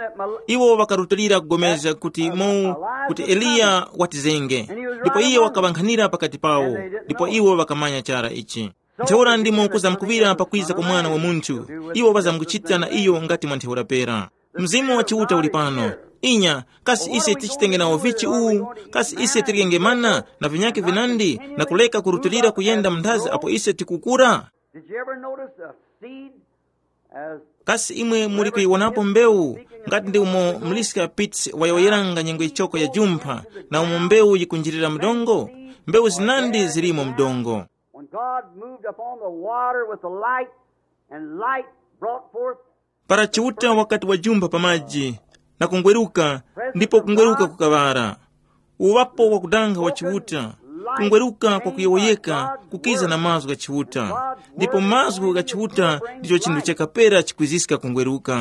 Iwo ŵakarutilira kugomezga kuti mu, kuti Eliya watizenge, ndipo iye wakaŵankhanira pakati pawo, ndipo iwo ŵakamanya chara ichi. Ntheura ndimo kuzamkuŵira pakwiza kwa Mwana wa Munthu, iwo ŵazamkuchita na iyo ngati mwa ntheura pera. Mzimu wa Chiuta uli pano, Inya, kasi ise tichitenge nawo vichi uwu? Kasi ise tiryenge mana na vinyakhe vinandi na kuleka kurutilira kuyenda mnthazi apo ise tikukura? Did you ever notice a seed as Kasi imwe muli kuyiwonapo mbewu ngati ndi umo Mliska Pitts wayowoyeranga nyengo yichoko ya jumpha, na umo mbewu yikunjirira mdongo? Mbewu zinandi zilimo mdongo. When God moved upon the water with the light, and light brought forth Para Chiuta wakati wajumpha pa maji na kungweruka, ndipo kungweruka kukaŵara. Uŵapo wakudanga wa Chiuta, kungweruka kwa kuyowoyeka kukiza na mazgu gha Chiuta, ndipo mazgu gha Chiuta ndicho chinthu chakapera chikwiziska kungweruka.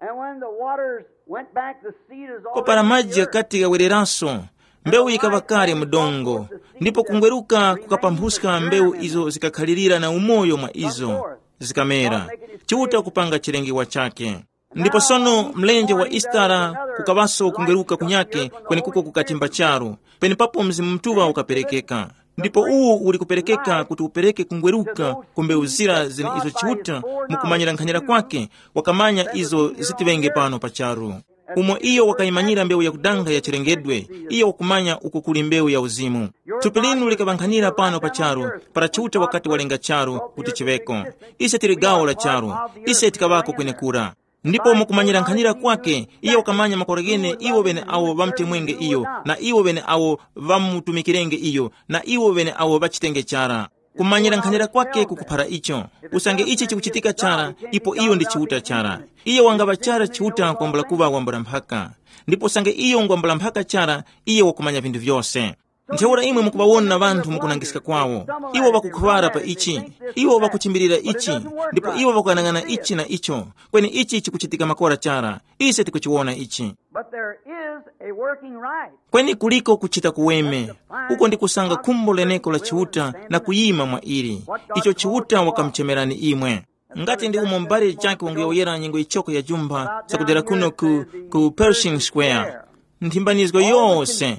And when the waters went back, the seed is Kopara already maji ghakati ghawereranso, mbewu yikaŵa kale mu dongo, ndipo kungweruka kukapambhuska mbewu izo zikakhalirira na umoyo mwa izo, zikamera. Chiuta kupanga chilengewa chake. Ndipo sono mlenje wa Isitara kukaŵaso kungweruka kunyake kwenekuko kukatimba charu, penepapo Mzimu Mutuŵa ukaperekeka. Ndipo uwu uli kuperekeka kuti upereke kungweruka ku mbewu zira zine izo Chiuta, mukumanyira nkhanyira kwake, wakamanya izo zitiŵenge pano pa charu. Umo iyo wakayimanyira mbewu yakudanga ya chilengedwe, iyo wakumanya uko kuli mbewu ya uzimu. Thupi linu likaŵankhanira pano pa charu, para Chiuta wakati walenga charu kuti chiŵeko. Ise tili gawo la charu, ise tikaŵako kwenekura. Ndipo mukumanyira nkhanira kwake, iye wakamanya makora ghene iwo ŵene awo ŵamutemwenge iyo, na iwo ŵene awo ŵamutumikirenge iyo, na iwo ŵene awo ŵachitenge chara. Kumanyira nkhanira kwake kukuphara icho. Usange ichi chikuchitika chara, ipo iyo ndi Chiuta chara. Iye wangaŵa chara Chiuta kwambula kuŵa wambula mphaka. Ndipo usange iyo ngwambula mphaka chara, iye wakumanya vinthu vyose. Ntheura imwe mukuŵawona ŵanthu mukunangiska kwawo. Iwo ŵakukhuŵara pa ichi. Iwo ŵakuchimbilira ichi. Ndipo iwo ŵakuyang'ana ichi na icho. Kweni ichi chikuchitika makora chara. Ise tikuchiwona ichi. But there is a working right. Kweni kuliko kuchita kuweme. Uko ndi kusanga khumbo leneko la Chiuta na kuyima mwa ili. Icho Chiuta wakamuchemerani imwe. Ngati ndi umo mbale chake wanguyowoyera nyengo ichoko ya jumba zakudera kuno ku, ku Pershing Square. Nthimbanizgo yose,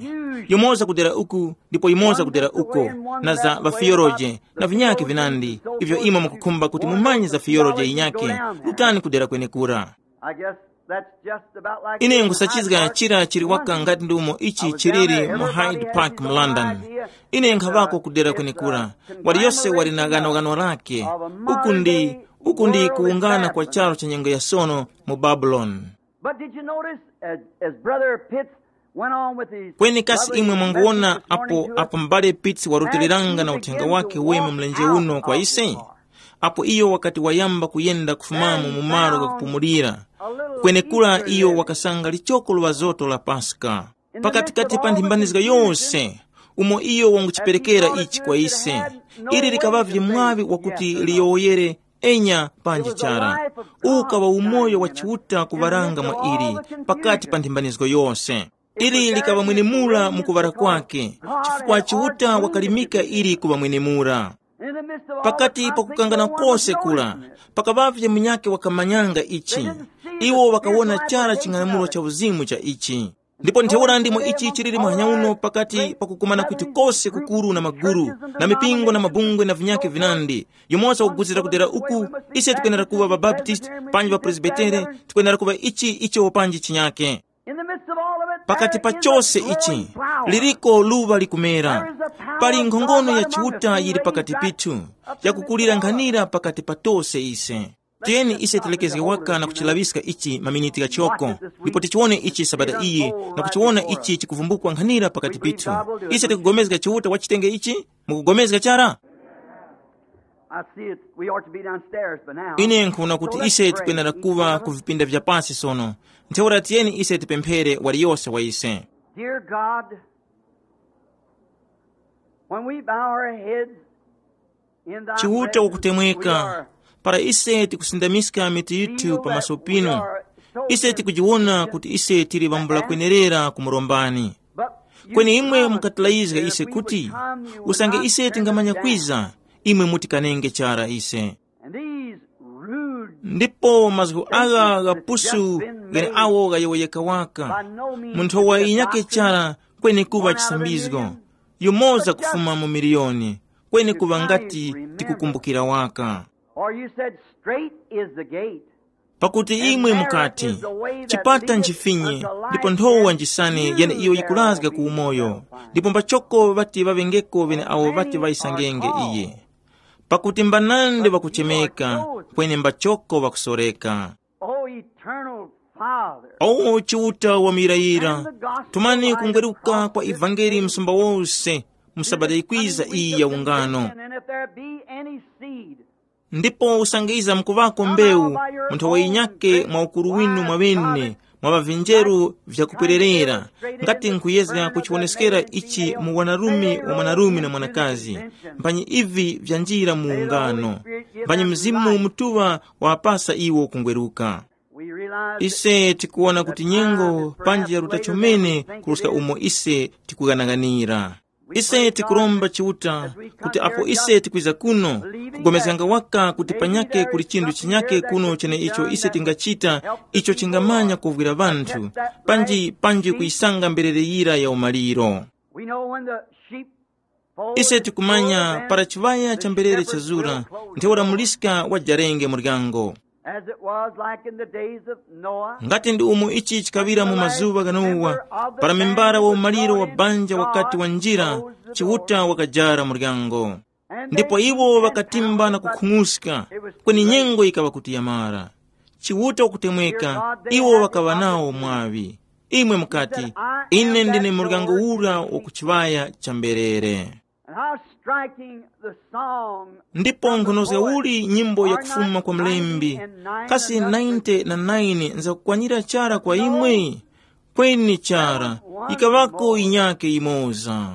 yumoza kudera uku, ndipo yumoza kudera uko, na za ŵafiyoroje na vinyake vinandi, ivyo imwe mukukhumba kuti mumanye za fiyoroje yinyake, rutani kudera kwenekura. I guess that's just about like ine nkhusachizga chira chili waka ngati ndi umo ichi chiliri mu Hyde Park mu London. Ine nkhavako kudera kwenekura, waliyose wali na ghanoghano lake. Uku ndi uku ndi kuwungana kwa charo cha nyengo ya sono mu Babuloni. But did you notice, as, as Brother Pitts went on with his Kweni kasi imwe mwanguwona apo apo m'bale Pitts warutiliranga na uthenga wake weme mlenje uno kwa ise? Apo iyo wakati wayamba kuyenda kufumamo mu malo ghakupumulira, kwenekura iyo wakasanga lichoko luŵazoto la Paska. Pakatikati pa nthimbanizga yose, umo iyo wanguchiperekera ichi kwa ise, ili likaŵavye mwaŵi wakuti liyowoyere enya panji chara. Uwu ukaŵa umoyo wa Chiuta kuŵaranga mwa ili pakati pa nthimbanizgo yose. Ili likaŵa mwenemura mu kuŵara kwake, chifukwa Chiuta wakalimika ili kuŵa mwenemura. Pakati pa kukangana kose kura, pakaŵavye munyakhe wakamanyanga ichi. Iwo ŵakawona chara ching'anamulo cha uzimu cha ichi. Ndipo ntheura ndimo ichi chiliri muhanya uno pakati pa kukumana kwitu kose kukuru na maguru, na mipingo na mabungwe na vinyakhe vinandi. Yumoza wakuguzira kudera uku, ise tikwenera kuŵa ŵabaptisti, panji ŵapresbitere, tikwenera kuŵa ichi icho panji chinyakhe. Pakati pa chose ichi, liriko luŵa likumera. Pali nkhongono ya Chiuta yili pakati pithu, yakukulira nkhanira pakati pa tose ise. Tiyeni ise tilekezge waka na kuchilaŵiska ichi maminiti ghachoko, ndipo tichiwone ichi sabata iyi, na kuchiwona ichi chikuvumbukwa nkhanira pakati pithu. Ise tikugomezga Chiuta wachitenge ichi? Mukugomezga chara? I see it. We ought to be downstairs by now. Ine nkhuna kuti ise tikwenera kuŵa ku vipinda vya pasi sono. Ntheura tiyeni ise tipemphere waliyose wa ise. Dear God, when we bow our heads in thy Chiuta presence, wakutemweka, we are para ise tikusindamiska mitu yithu pamaso pinu, ise tikujiwona kuti ise tili ŵambula kwenerera kumurombani. Kweni imwe mukatilayizga ise kuti, usange ise tingamanya kwiza, imwe mutikanenge chara ise. And these rude Ndipo mazgu agha ghapusu ghene awo ghayowoyeka waka, munthu wa inyake chara kweni kuŵa chisambizgo, yumoza kufuma mu miliyoni, kweni kuŵa ngati tikukumbukira waka. Or you said, "Straight is the gate." Pakuti imwe mukati, chipata nchifinye, ndipo nthowa njisane yene iyo yikurazga ku umoyo, ndipo mbachoko ŵati ŵaŵengeko ŵene awo ŵati ŵayisangenge iye. Pakuti mbanandi ŵakuchemeka, kweni mbachoko ŵakusoreka. O eternal Father, O Chiuta wa muyirayira, tumani kungweruka kwa ivangeli msumba wose, mu sabata yikwiza iyi ya ungano. And if there be any seed, ndipo usange iza mkuŵako mbewu, mu nthowa yinyake mwa ukuru winu mwa ŵene, mwa ŵavinjeru vyakupwererera, ngati nkuyezga kuchiwoneskera ichi mu wanarume wa mwanarume na mwanakazi, mphanyi ivi vyanjira mu ungano, mphanyi Mzimu Mutuŵa wapasa iwo kungweruka. Ise tikuwona kuti nyengo panji yaruta chomene kuruska umo ise tikughanaghanira. Ise tikuromba Chiuta kuti apo ise tikwiza kuno, kugomezganga waka kuti panyake kuli chinthu chinyake kuno cheneicho ise tingachita, icho chingamanya kuvwira ŵanthu, panji panji kuyisanga mberere yira ya umaliro. We know when the sheep fold ise tikumanya para chiŵaya cha mberere chazura, ntheura muliska wajarenge muryango. As it was like in the days of Noah, ngati ndi umo ichi chikaŵira mu mazuŵa gha Nowa, para membara wa umaliro wa banja wakati wanjira, Chiuta wakajara muryango. Ndipo iwo ŵakatimba na kukhung'uska, kweni nyengo yikaŵa kuti yamara. Chiuta wakutemweka, iwo ŵakaŵa nawo mwaŵi. Imwe mukati, ine ndine muryango ura wa ku chiŵaya cha mberere. And how striking the song. Ndipo nkhonozga uli nyimbo yakufuma kwa mlembi, kasi ninety na nine nzakukwanira chara kwa imwe? Kweni chara, yikaŵako yinyake yimoza.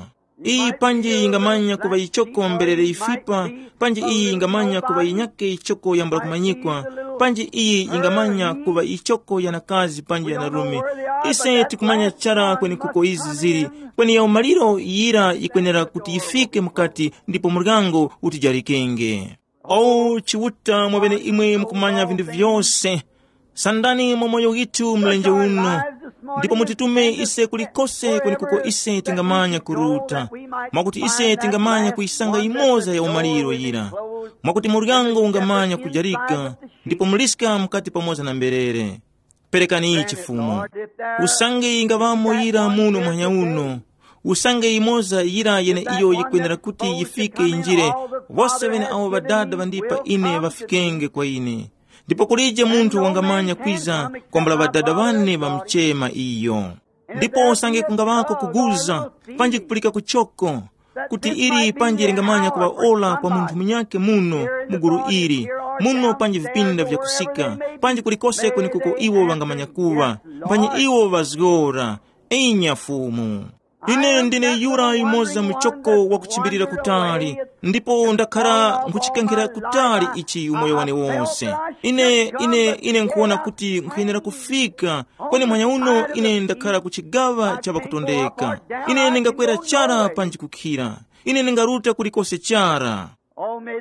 Iyi panji yingamanya kuŵa yichoko mberere yifipa, panji iyi yingamanya kuŵa yinyake yichoko yambula kumanyikwa, panji iyi yingamanya kuŵa yichoko yanakazi panji yanarume. Ise tikumanya chara kwenekuko izi zili, kweni ya umaliro yira yikwenera kuti yifike mukati ndipo muryango utijarikenge. O Chiuta, mwaŵene imwe mukumanya vinthu vyose. Sandani mwa moyo withu mlenje uno, ndipo mutitume ise kulikose kwenekuko ise tingamanya kuruta, mwakuti ise tingamanya kuyisanga yimoza ya umaliro yira, mwakuti muryango ungamanya kujarika, ndipo muliska mukati pamoza na mberere. Perekani ichi Fumu. Usange yingaŵamo yira muno muhanya uno, usange yimoza yira yeneiyo yikwenera kuti yifike yinjire, wose ŵene awo Ŵadada ŵandipa ine ŵafikenge kwa ine. Ndipo kulije munthu wangamanya kwiza kwambula Ŵadada ŵane ŵamuchema iyo. Ndipo usange kungaŵako kuguza, panji kupulika kuchoko, kuti ili panji lingamanya kuŵa ora kwa munthu munyakhe muno mu gulu ili, muno panji vipinda vyakusika, panji kulikose kwenekuko iwo ŵangamanya kuŵa, mphanyi iwo ŵazgora, inya Fumu. Ine ndine yura yumoza muchoko wakuchimbilira kutali, ndipo ndakhara nkhuchikankhira kutali ichi umoyo wane wose. Ine, ine, ine nkhuwona kuti nkhuyenera kufika, kweni mwanya uno ine ndakhara ku chigaŵa cha ŵakutondeka. Ine ndingakwera chara panji kukhira. Ine ndingaruta kulikose chara.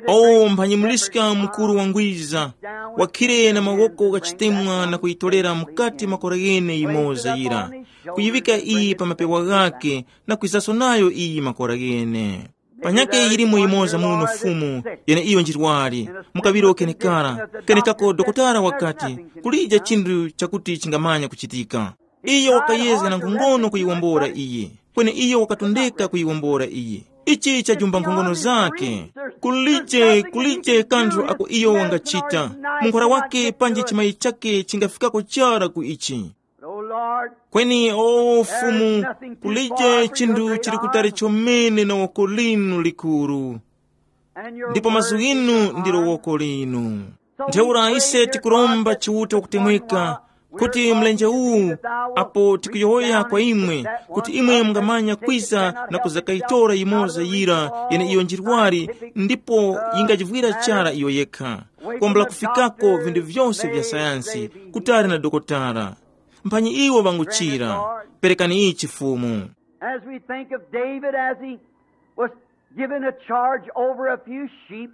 O mphanyi muliska mukuru wangwiza, wakhire na mawoko ghachitemwa na kuyitorera mukati makora ghene yimoza yira, kuyiŵika iyi pa mapewa ghakhe na kwizaso nayo iyi makora ghene. Panyakhe yilimo yimoza muno Fumu, yeneiyo njirwari, mukaŵiro kenekara, kenekako dokotala wakati, kulije chinthu chakuti chingamanya kuchitika. Iyo wakayezga na nkhongono kuyiwombora iyi, kweni iyo wakatondeka kuyiwombora iyi. Ichi chajumba nkhongono zakhe. Kulije, kulije kanthu ako iyo wangachita. Munkhora wakhe panji chimayi chakhe chingafikako chara ku ichi. Kweni o Fumu, kulije chinthu chili kutali chomene na woko linu likuru. Ndipo mazgu ghinu ndilo woko linu. Ntheura ise tikuromba Chiuta wakutemweka, kuti mlenje uwu, apo tikuyowoya kwa imwe, kuti imwe mungamanya kwiza na kuzakayitora yimoza yira yeneiyo njirwari, ndipo yingajivwira chara iyo yekha, kwambula kufikako vinthu vyose vya sayansi, kutali na dokotala. Mphanyi iwo ŵanguchira. Perekani ichi Fumu. As we think of David as he was given a charge over a few sheep,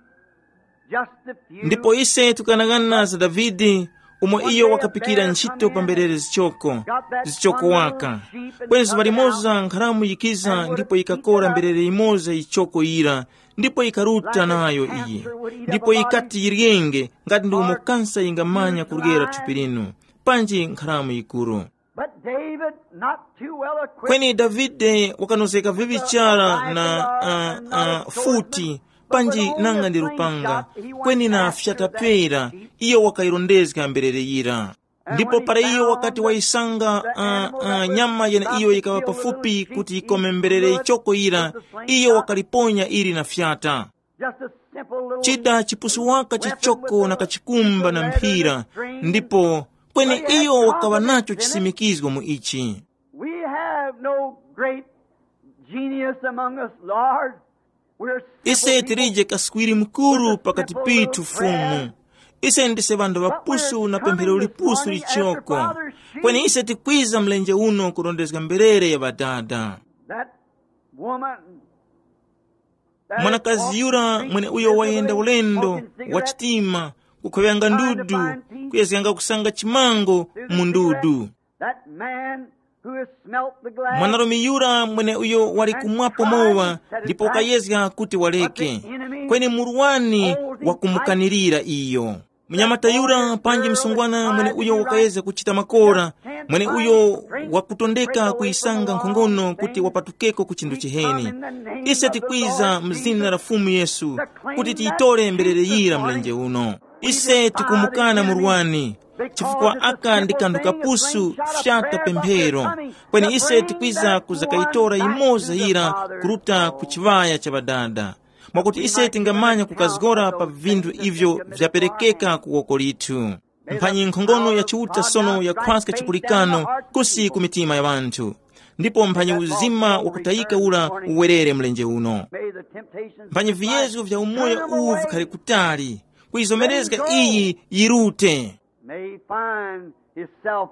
just a few. Ndipo ise tukanang'ana za Davide, umo iyo wakapikira ntchito pa mberere zichoko, zichoko waka. Kweni zuŵa limoza nkharamu yikiza ndipo yikakora mberere yimoza yichoko yira, Ndipo yikaruta nayo iyi, ndipo yikati yiryenge ngati ndi umo kansa yingamanya kuryera thupi linu, panji nkharamu yikuru. But David, not too well equipped, kweni davide wakanozeka vivi chara na uh, uh, futi, panji nanga ndi lupanga, kweni na fyatapera, iyo wakayirondezga mberere yira. Ndipo para iyo wakati wayisanga uh, uh, nyama yeneiyo yikaŵa pafupi kuti yikome mberere ichoko yira, iyo wakaliponya ili na fyata. Just a simple little chida chipusu waka chichoko na kachikumba na mphira. Ndipo kweni iyo wakaŵa nacho chisimikizgo mu ichi. We have no great genius among us, Lord. We're simple ise people. Tilije kaswiri mkuru pakati pithu fumu. Ise ndise ŵanthu ŵapusu na pemphero lipusu lichoko. Kweni ise tikwiza mlenje uno kurondezga mberere ya ŵadada. That woman, mwanakazi yura mwene uyo wayenda ulendo wa chitima, kukhoŵyanga ndudu, kuyezganga kusanga chimango mu ndudu. That man who has smelt the glass. Mwanarume yura mwene uyo wali kumwapo mowa, ndipo wakayezga kuti waleke, kweni murwani wakumukanirira iyo. Munyamata yura panji msungwana mwene uyo wakayezga kuchita makora, mwene uyo wakutondeka kuyisanga nkhongono kuti wapatukeko ku chinthu chiheni. Ise tikwiza mu zina la Fumu Yesu kuti tiyitore mberere yira mlenje uno. Ise tikumukana murwani, chifukwa aka ndi kanthu kapusu fyata pemphero. Kweni ise tikwiza kuzakayitora yimoza yira kuruta ku chiŵaya cha ŵadada, mwakuti ise tingamanya kukazgora pa vinthu ivyo vyaperekeka ku woko lithu. Mphanyi nkhongono ya Chiuta sono yakhwaska chipulikano kusi ku mitima ya ŵanthu, ndipo mphanyi uzima wakutayika ura uwerere mlenje uno. Mphanyi viyezgo vya umoyo uwu vikhale kutali, kuyizomerezga iyi yirute. May he find himself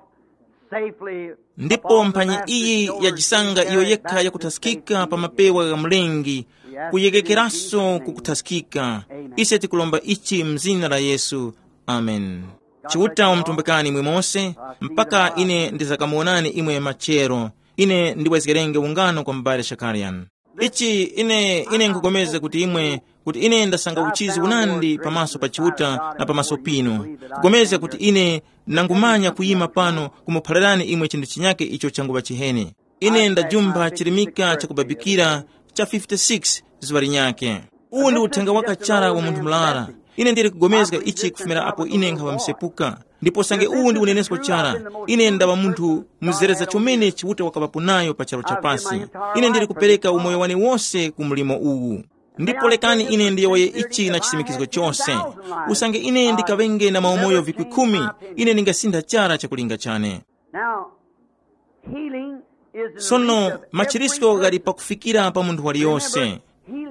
safely. Ndipo mphanyi iyi yajisanga iyo yekha yakuthaskika pa mapewa gha Mlengi, kuyeghekeranso kukuthaskika. Ise tikulomba ichi mzina la Yesu. Amen. Chiuta umtumbikani imwe mose, mpaka ine ndizakamuwonani imwe machero. Ine ndiwezgerenge ungano kwa m'bale Shakarian. Ichi ine ine nkugomeza kuti imwe kuti ine ndasanga uchizi unandi pamaso pa Chiuta na pamaso pinu, kugomeza kuti ine nangumanya kuyima pano kumuphalirani imwe chinthu chinyake icho changuŵa chiheni. Ine ndajumpha chirimika chakubabikira cha fifty-six zuŵa linyakhe. Uwu ndi uthenga wakachara wa munthu murara. Ine ndili kugomezga ichi kufumira apo ine nkhaŵa msepuka. Ndipo sange uwu ndi unenesko chara, ine ndaŵa munthu muzereza chomene Chiuta wakaŵapo nayo pa charu cha pasi. Ine ndili kupereka umoyo wane wose ku mlimo uwu. Ndipo lekani ine ndiyowoye ichi na chisimikizgo chose. Usange ine ndikaŵenge na maumoyo vikwi khumi, ine ndingasintha chara chakulinga chane. Now, healing is in the reach sono of machiritso every ghali pakufikira pa munthu waliyonse.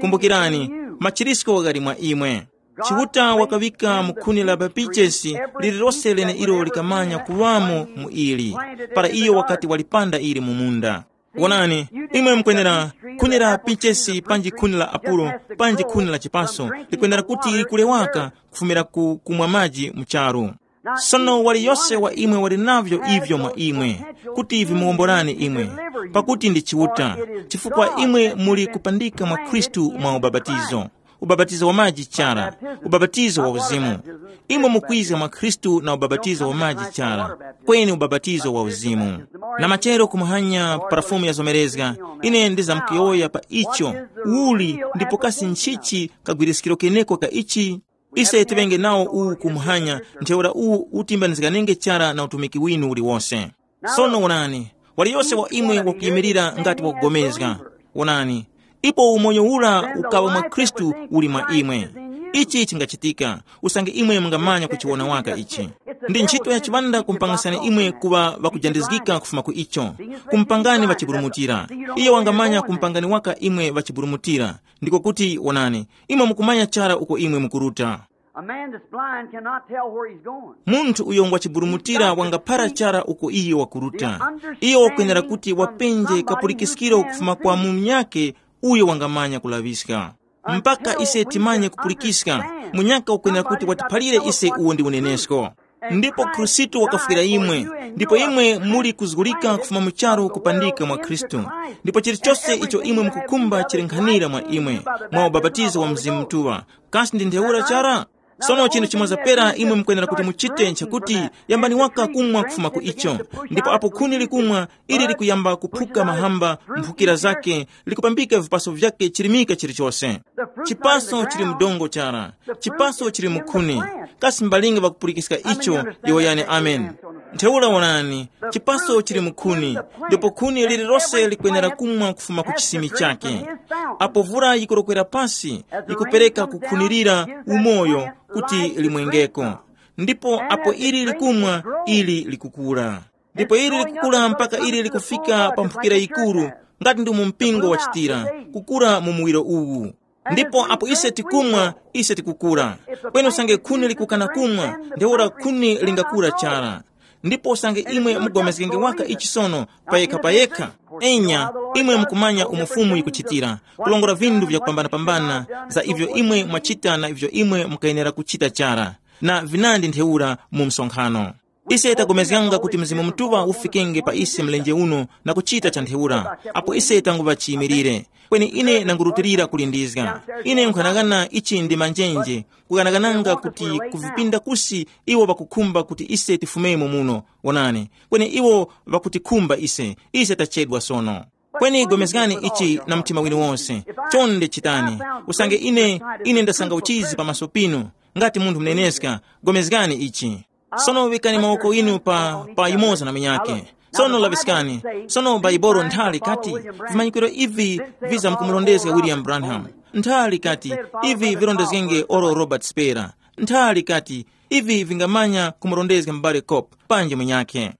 Kumbukirani, machiritso ghali mwa imwe. Chiuta wakaŵika mu khuni la papichesi lililose lene ilo likamanya kuŵamo mu ili, para iyo wakati walipanda ili mu munda. Wonani, imwe mukwenera khuni la pichesi panji khuni la apulo panji khuni la chipaso likwenera kuti likule waka kufumira ku kumwa maji mu charu. Sono waliyose wa imwe wali navyo ivyo mwa imwe, kuti vimuwomborani imwe, pakuti ndi Chiuta, chifukwa imwe muli kupandika mwa Khristu mwa ubapatizo, ubapatizo wa maji chara, ubapatizo wa uzimu. Imwe mukwiza mwa Khristu na ubapatizo wa maji chara, kweni ubapatizo wa uzimu. Na machero kumuhanya parafumu yazomerezga, ine ndizamkuyowoya pa icho, uli ndipo kasi nchichi kagwiriskiro keneko ka ichi? Ise tiŵenge nawo uwu kumuhanya, ntheura uwu utimbanizganenge chara na utumiki winu uliwose. Sono wonani, waliyose wa imwe wakuyimirira ngati wakugomezga. Wonani, ipo umoyo ura ukaŵa mwa Khristu uli mwa imwe. Ichi chingachitika, usange imwe mungamanya kuchiwona waka ichi. Ndi ntchito ya chiŵanda kumpangasani imwe kuŵa ŵakujandizgika kufuma ku icho. Kumpangani ŵachiburumutira. Iyo wangamanya kumpangani waka imwe ŵachiburumutira. Ndiko kuti, wonani, imwe mukumanya chara uko imwe mukuruta. A man that's blind cannot tell where he's going. Munthu uyo ngwa chiburumutira wangaphara chara uko iye wakuruta. Iyo wakwenera kuti wapenje kapulikiskiro kufuma kwa munyakhe uyo wangamanya kulaŵiska. Mpaka ise timanye kupulikiska, munyakhe wakwenera kuti watiphalire ise uwo ndi unenesko. Ndipo Khristu wakafwira imwe, ndipo imwe muli kuzgulika kufuma mu charu kupandika mwa Khristu. Ndipo chilichose icho imwe mukukhumba chili nkhanira mwa imwe, mwa ubapatizo wa Mzimu Mutuŵa. Kasi ndi ntheura chara? Sono chinthu chimoza pera imwe mukwenera kuti muchite nchakuti, yambani waka kumwa kufuma ku icho. Ndipo apo khuni likumwa, ili likuyamba kuphuka mahamba, mphukira zake, likupambika vipaso vyake chirimika chilichose. Chipaso chili mdongo chara. Chipaso chili mukhuni. Kasi mbalinga ŵakupulikiska icho? Yowoyani amen. Ntheura wonani, chipaso chili mukhuni, ndipo khuni lililose likwenera kumwa kufuma ku chisimi chake. Apo vura yikurokwera pasi, yikupereka kukhunirira umoyo kuti limwengeko. Ndipo apo ili likumwa, ili likukura. Ndipo ili likukura mpaka ili likufika pa mphukira yikuru, ngati ndi mu mpingo wachitira, kukura mu muwiro uwu. Ndipo apo ise tikumwa, ise tikukura. Kweni usange khuni likukana kumwa, ntheura khuni lingakura chara. Ndipo usange imwe mugomezgenge waka ichi sono, payekha payekha, enya, imwe mukumanya umo Fumu yikuchitira, kulongora vindu vyakupambanapambana, za ivyo imwe mwachita na ivyo imwe mukayenera kuchita chara, na vinandi ntheura mu msonkhano. Ise tagomezganga kuti Mzimu Mutuŵa ufikenge pa ise mlenje uno na kuchita cha ntheura, apo ise tanguŵa chiyimilire. Kweni ine nangurutilira kulindizga. Ine nkhanang'ana ichi ndi manjenje, kukanakananga kuti kuvipinda kusi iwo ŵakukhumba kuti ise tifumemo muno, wonani, kweni iwo ŵakutikhumba ise, ise tachedwa sono. Kweni gomezgani ichi na mtima winu wonse. Chonde chitani. Usange ine, ine ndasanga uchizi pamaso pinu, ngati munthu muneneska, gomezgani ichi. Sono vikani mawoko inu pa, pa yumoza na munyake. Sono laŵiskani. Sono Baibolo nthali kati, vimanyikiro ivi viza mkumurondezga William Branham. Nthali kati, ivi virondezgenge oro Robert Spera. Nthali kati, ivi vingamanya kumurondezga m'bale Cope panji munyakhe.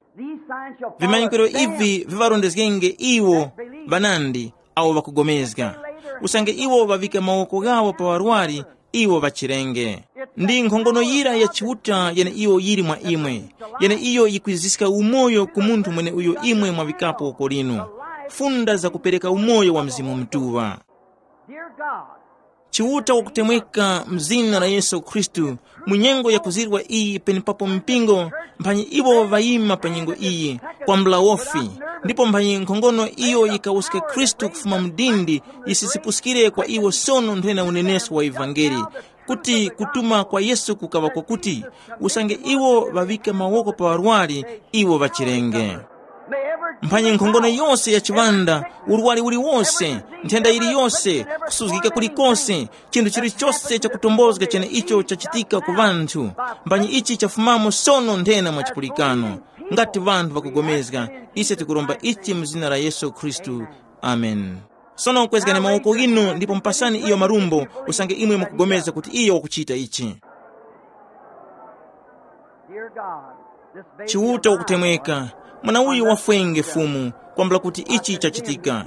Vimanyikiro ivi viŵarondezgenge iwo ŵanandi awo ŵakugomezga. Usange iwo ŵaŵika mawoko ghawo pa ŵarwari, iwo ŵachirenge. Ndi nkhongono yira ya Chiuta yene iyo yili mwa imwe, yene iyo yikwiziska umoyo ku munthu mweneuyo imwe mwaŵikapo woko linu. Funda zakupereka umoyo wa Mzimu Mutuŵa. Dear God, Chiuta wakutemweka mu zina la Yesu Khristu, mu nyengo yakuzirwa iyi penepapo mpingo, mphanyi iwo ŵayima pa nyengo iyi, kwambula wofi, ndipo mphanyi nkhongono iyo yikawuska Khristu kufuma mu dindi yisisipuskire kwa iwo sono nthena unenesko wa ivangeli, kuti kutuma kwa Yesu kukaŵa kwakuti, usange iwo ŵaŵika mawoko pa ŵarwari, iwo ŵachirenge. Mphanyi nkhongono yose ya chiŵanda, urwari uliwonse, nthenda yiliyose, kusuzgika kulikose, chinthu chilichose chakutombozga cheneicho chachitika ku ŵanthu, mphanyi ichi chafumamo sono nthena mwa chipulikano. Ngati ŵanthu ŵakugomezga, ise tikuromba ichi mu zina la Yesu Khristu. Amen. Sono kwezgani mawoko ghinu ndipo mupasani iyo marumbo, usange imwe mukugomeza kuti iyo wakuchita ichi. Dear God, this baby Chiuta of mine wakutemweka, mwana uyu wafwenge Fumu, kwambula kuti ichi chachitika.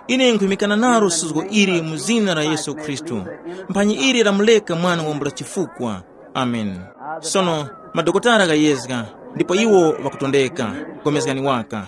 Ine nkhuyimikana nalo suzgo ili mu zina la Yesu Khristu. Mphanyi ili lamuleka mwana wambula chifukwa. Amen. Sono, madokotala ghayezga, ndipo iwo ŵakutondeka. Gomezgani waka.